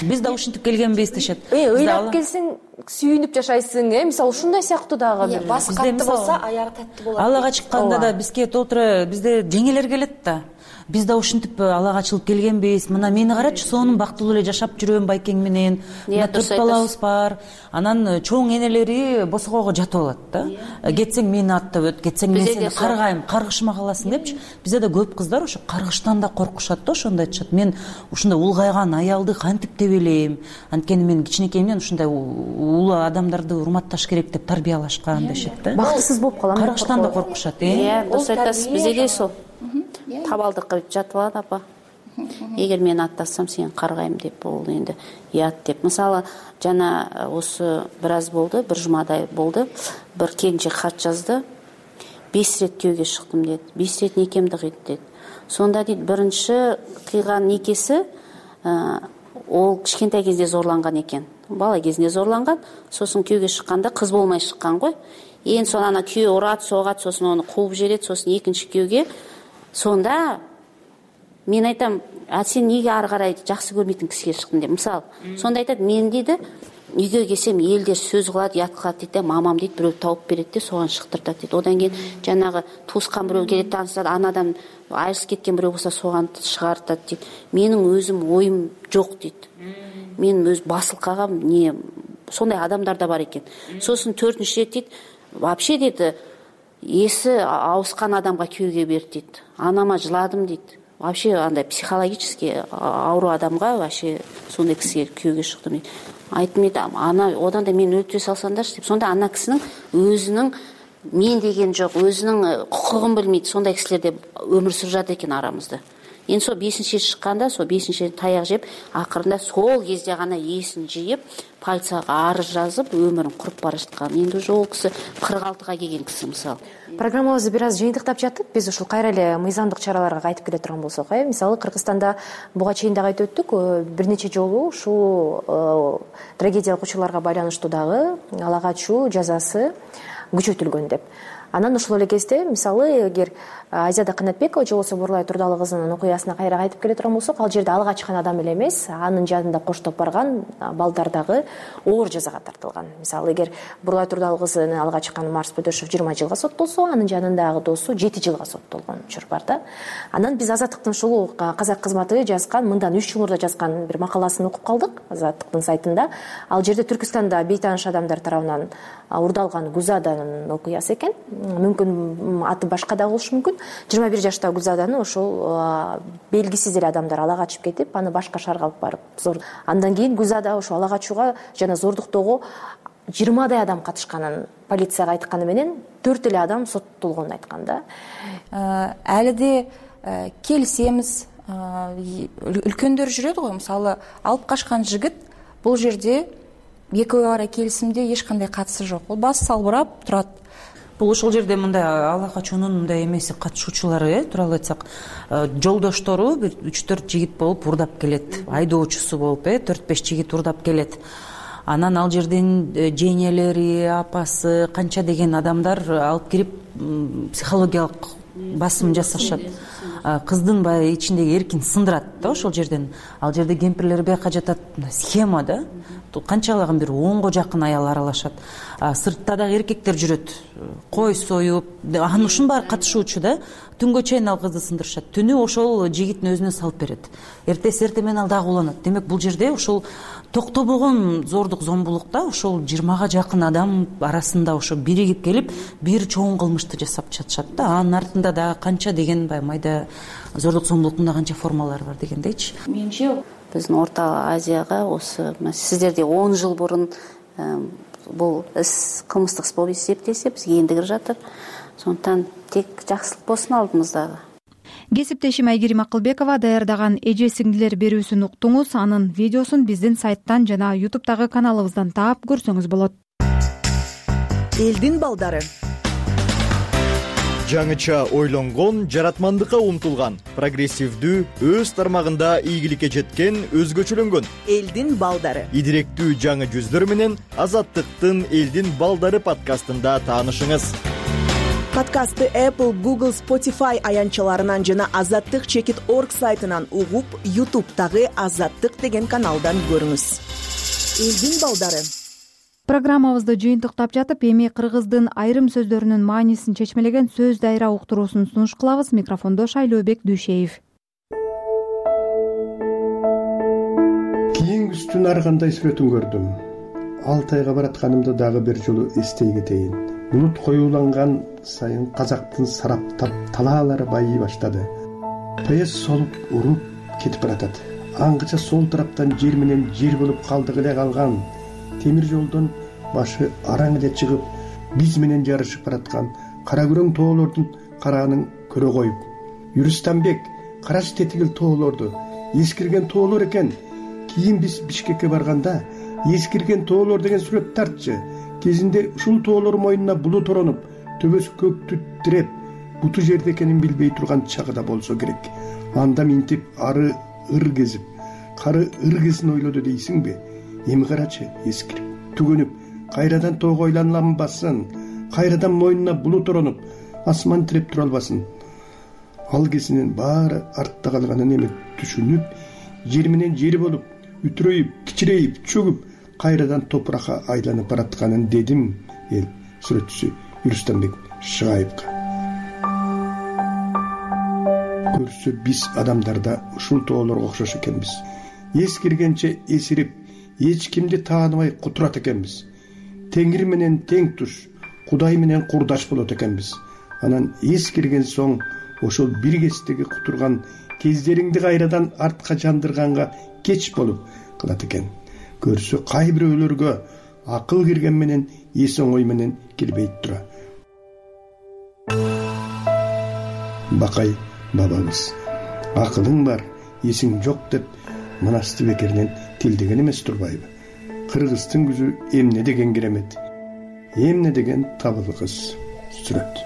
Биз да ушинтип келгенбиз дешет. Ыйлап келсең, сүйүнүп жашайсың, мисалы ушундай сыяктуу дагы. Басы катты болсо, аягы таттуу болот. Аллага чыкканда да бизге толтура бизде жеңелер келет да. Биз да ушинтип алага чылып келгенбиз. Мына мени карачы, сонун бактылуу эле жашап жүрөм байкең менен. Мына 4 балабыз бар. Анан чоң энелери босогого жатып алат да. Кетсең мени аттап өт, кетсең мен сени каргайм, каргышыма каласың депчи. Бизде да көп кыздар ошо каргыштан да коркушат да, ошондой айтышат. Мен ушундай улгайган аялды кантип тебелейм? Анткени мен кичинекейимден ушундай улуу адамдарды урматташ керек деп тарбиялашкан дешет да. Бактысыз болуп калам. Каргыштан да коркушат, Дұрыс айтасыз, бизде де сол. Табалдыкка жатып алат апа. Эгер мен аттасам сен каргайм деп, ол енді ұят деп. Мысалы, жана осы біраз болды, бір жұмадай болды, бір келіншек хат жазды. 5 рет күйеуге шықтым деді. 5 рет некемді қиды деді. Сонда дейді, бірінші қиған некесі ол кішкентай кезде зорланған екен. Бала кезінде зорланған, сосын күйеуге шыққанда қыз болмай шыққан ғой. Ең соң ана күйеуі ұрады, соғады, сосын оны қуып жібереді, сосын екінші күйеуге. Сонда мен айтам, сен неге ары қарай жақсы көрмейтін кісіге шықтың деп. Мысалы, сонда айтады, мен дейді, үйге келсем елдер сөз қылады, ұят қылады дейді, мамам дейді, біреу тауып береді де, соған шықтыртады дейді. Одан кейін жаңағы туысқан біреу келеді, танысады, анадан айырылысып кеткен біреу болса соған шығартады дейді. Менің өзім ойым жоқ дейді. Мен өз басылқағам, не сондай адамдар да бар екен. Сосын 4-ші рет дейді, вообще дейді, есі ауысқан адамға күйеуге берді дейді. Анама жыладым дейді. вообще андай психологически ауру адамга вообще сондай кисиге күйөөгө чыктым дейт. Айтып дейт, ана одан да мени өлтүрө салсаңдарчы деп. Сонда ана кисинин өзүнүн мен деген жок, өзүнүн кукугун билмейт, сондай кисилер деп өмүр сүрүп жатат экен арамызда. Эми сол 5-чи чыкканда, сол 5-чи таяк жеп, акырында сол кезде гана эсин жыйып, полицияга арыз жазып, өмүрүн куруп бара жаткан. Эndi уже ол киси 46-га келген киси мисалы. Программабызды бир аз жыйынтыктап жатып, биз ушул кайра эле мыйзамдык чараларга кайтып келе турган болсок, мисалы Кыргызстанда буга чейин дагы айтып өттүк, бир нече жолу ушул трагедиялык учурларга байланыштуу дагы ала качуу жазасы күчөтүлгөн деп. Анан ошол эле кезде мисалы эгер Азиада Канатбекова же болбосо Бурлай Турдалы кызынын окуясына кайра кайтып келе турган болсок, ал жерде алга чыккан адам эле эмес, анын жанында коштоп барган балдар дагы оор жазага тартылган. Мисалы эгер Бурлай Турдалы кызыны алга чыккан Марс Бөдөшов 20 жылга соттолсо, анын жанындагы досу 7 жылга соттолгон учур бар да. Анан биз Азаттыктын ушул казак кызматы жазган, мындан 3 жыл мурда жазган бир макаласын окуп калдык Азаттыктын сайтында. Ал жерде Түркүстанда бейтааныш адамдар тарабынан урдалган Гузаданын окуясы экен. Мүмкүн аты башка да болушу мүмкүн. 21 жаштагы Гүлзаданы ошол белгисиз эле адамдар ала качып кетип, аны башка шаарга алып барып андан кийин Гүлзада ошо ала качууга жана зордуктоого 20дай адам катышканын полицияга айтканы менен 4 эле адам соттолгонун айткан да. Әлиде келисемиз, үлкөндөр жүрөт го, мисалы алып качкан жигит бул жерде экөө ара келисимде эч кандай катышы жок. Бул баш салбырап турат. Бул ошол жерде мындай ала качуунун мындай эмеси катышуучулары, тууралуу айтсак, жолдоштору бир 3-4 жигит болуп урдап келет. Айдоочусу болуп, 4-5 жигит урдап келет. Анан ал жерден жеңелери, апасы, канча деген адамдар алып кирип психологиялык басым жасашат. Кыздын баягы ичиндеги эркин сындырат да ошол жерден. Ал жерде кемпирлер бияка жатат, схема да. Канчалаган бир 10го жакын аял аралашат. Сыртта дагы эркектер жүрөт. Кой союп, анын ушунун баары катышуучу да. Түнгө чейин ал кызды сындырышат. Түнү ошол жигиттин өзүнө салып берет. Эртеси менен ал дагы уланат. Демек бул жерде ошол токтобогон зордук зомбулукта ошол 20га жакын адам арасында ошо биригип келип бир чоң кылмышты жасап жатышат да. Анын артында дагы канча деген майда зордук зомбулуктун канча формалары бар дегендейчи. Менимче биздин Орто Азияга осы сиздерде 10 жыл мурун бул кылмыштык иш болуп эсептелсе, бизге энди кирип жатыр. Сондуктан тек жакшылык болсун алдымыздагы. Кесиптешим Айгерим Акылбекова даярдаган эже сиңдилер берүүсүн уктуңуз. Анын видеосун биздин сайттан жана YouTube'дагы каналыбыздан таап көрсөңүз болот. Элдин балдары. Жаңыча ойлонгон, жаратмандыкка умтулган, прогрессивдүү, өз тармагында ийгиликке жеткен, өзгөчөлөнгөн элдин балдары. Идиректүү жаңы жүздөр менен Азаттыктын Элдин балдары подкастында таанышыңыз. Подкастты Apple, Google, Spotify аянтчаларынан жана azattik.org сайтынан угуп, YouTube'дагы Азаттык деген каналдан көрүңүз. Элдин балдары. Программабызды жыйынтыктап жатып, эми кыргыздын айрым сөздөрүнүн маанисин чечмелеген сөз дайра уктуруусун сунуш кылабыз. Микрофондо Шайлообек Дүйшеев. Кийин күздүн ар кандай сүрөтүн көрдүм. Алтайга баратканымды дагы бир жолу эстей кетейин. Булут коюуланган сайын казактын сараптап талаалары байый баштады. Поезд солуп уруп кетип баратат. Аңгыча сол тараптан жер менен жер болуп калдык эле калган темир жолдон башы араң эле чыгып, биз менен жарышып бараткан кара күрөң тоолордун караанын көрө коюп, Юрустамбек караш тетигил тоолорду, эскирген тоолор экен. Кийин биз Бишкекке барганда эскирген тоолор деген сүрөт тартчы. Кезинде ушул тоолор мойнуна булут оронуп, төбөсү көктү тиреп, буту жерде экенин билбей турган чагы да болсо керек. Анда минтип ары ыр кезип, кары ыр кезин ойлоду дейсиңби? Эми карачы, эскирип, түгөнүп, кайрадан тоого айланбасын, кайрадан мойнуна булут оронуп, асман тиреп тура албасын. Ал кезинин баары артта калганын эми түшүнүп, жер менен жер болуп, үтүрөйүп, кичирейип, чөгүп, кайрадан топуракка айланып баратканын дедим эл сүрөтчүсү Юрустамбек Шагаевга. Көрсө биз адамдарда ушул тоолорго окшош экенбиз. Эскиргенче эсирип, эч кимди тааныбай кутурат экенбиз. Теңир менен тең туш, Кудай менен курдаш болот экенбиз. Анан эскирген соң ошол бир кездеги кутурган кездериңди кайрадан артка жандырганга кеч болуп калат экен. Көрсө кай бирөөлөргө акыл кирген менен эс оңой менен келбейт тура. Бакай бабабыз акылың бар, эсиң жок деп мынасты бекеринен тилдеген эмес турбайбы? Кыргыздын күзү эмне деген керемет, эмне деген табыл кыз. Сүрөт.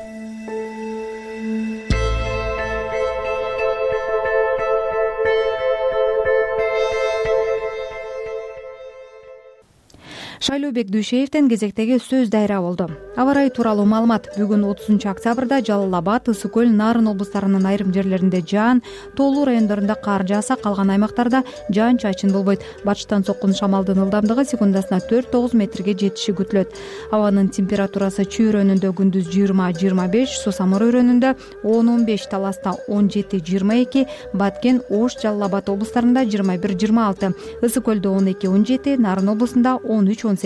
Шайлообек Дүйшеевден кезектеги сөз дайра болду. Аба ырайы тууралуу маалымат. Бүгүн 30-октябрда Жалал Абад, Ысык көл, Нарын облустарынын айрым жерлеринде жаан, тоолуу райондорунда кар жааса, калган аймактарда жаан-чачын болбойт. Батыштан соккун шамалдын ылдамдыгы секундасына 4-9 метрге жетиши күтүлөт. Абанын температурасы Чүй районунда күндүз 20-25, Сусамыр районунда 10-15, Таласта 17-22, Баткен, Ош, Жалал Абад облустарында 21-26, Ысык көлдө 12-17, Нарын облусунда 13-18.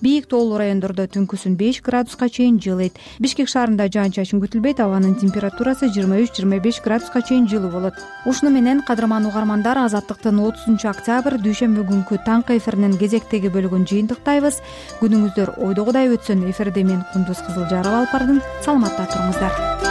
Бийик тоолуу райондордо түнкүсүн 5 градуска чейин жылыйт. Бишкек шаарында жаан-чачын күтүлбөйт. Абанын температурасы 23-25 градуска чейин жылуу болот. Ушуну менен кадырман угармандар, Азаттыктын 30-октябрь дүйшөмбү күнкү таңкы эфиринин кезектеги бөлүгүн жыйынтыктайбыз. Күнүңүздөр ойдогудай өтсүн. Эфирде мен Кундуз Кызылжарова алып бардым. Саламатта туруңуздар.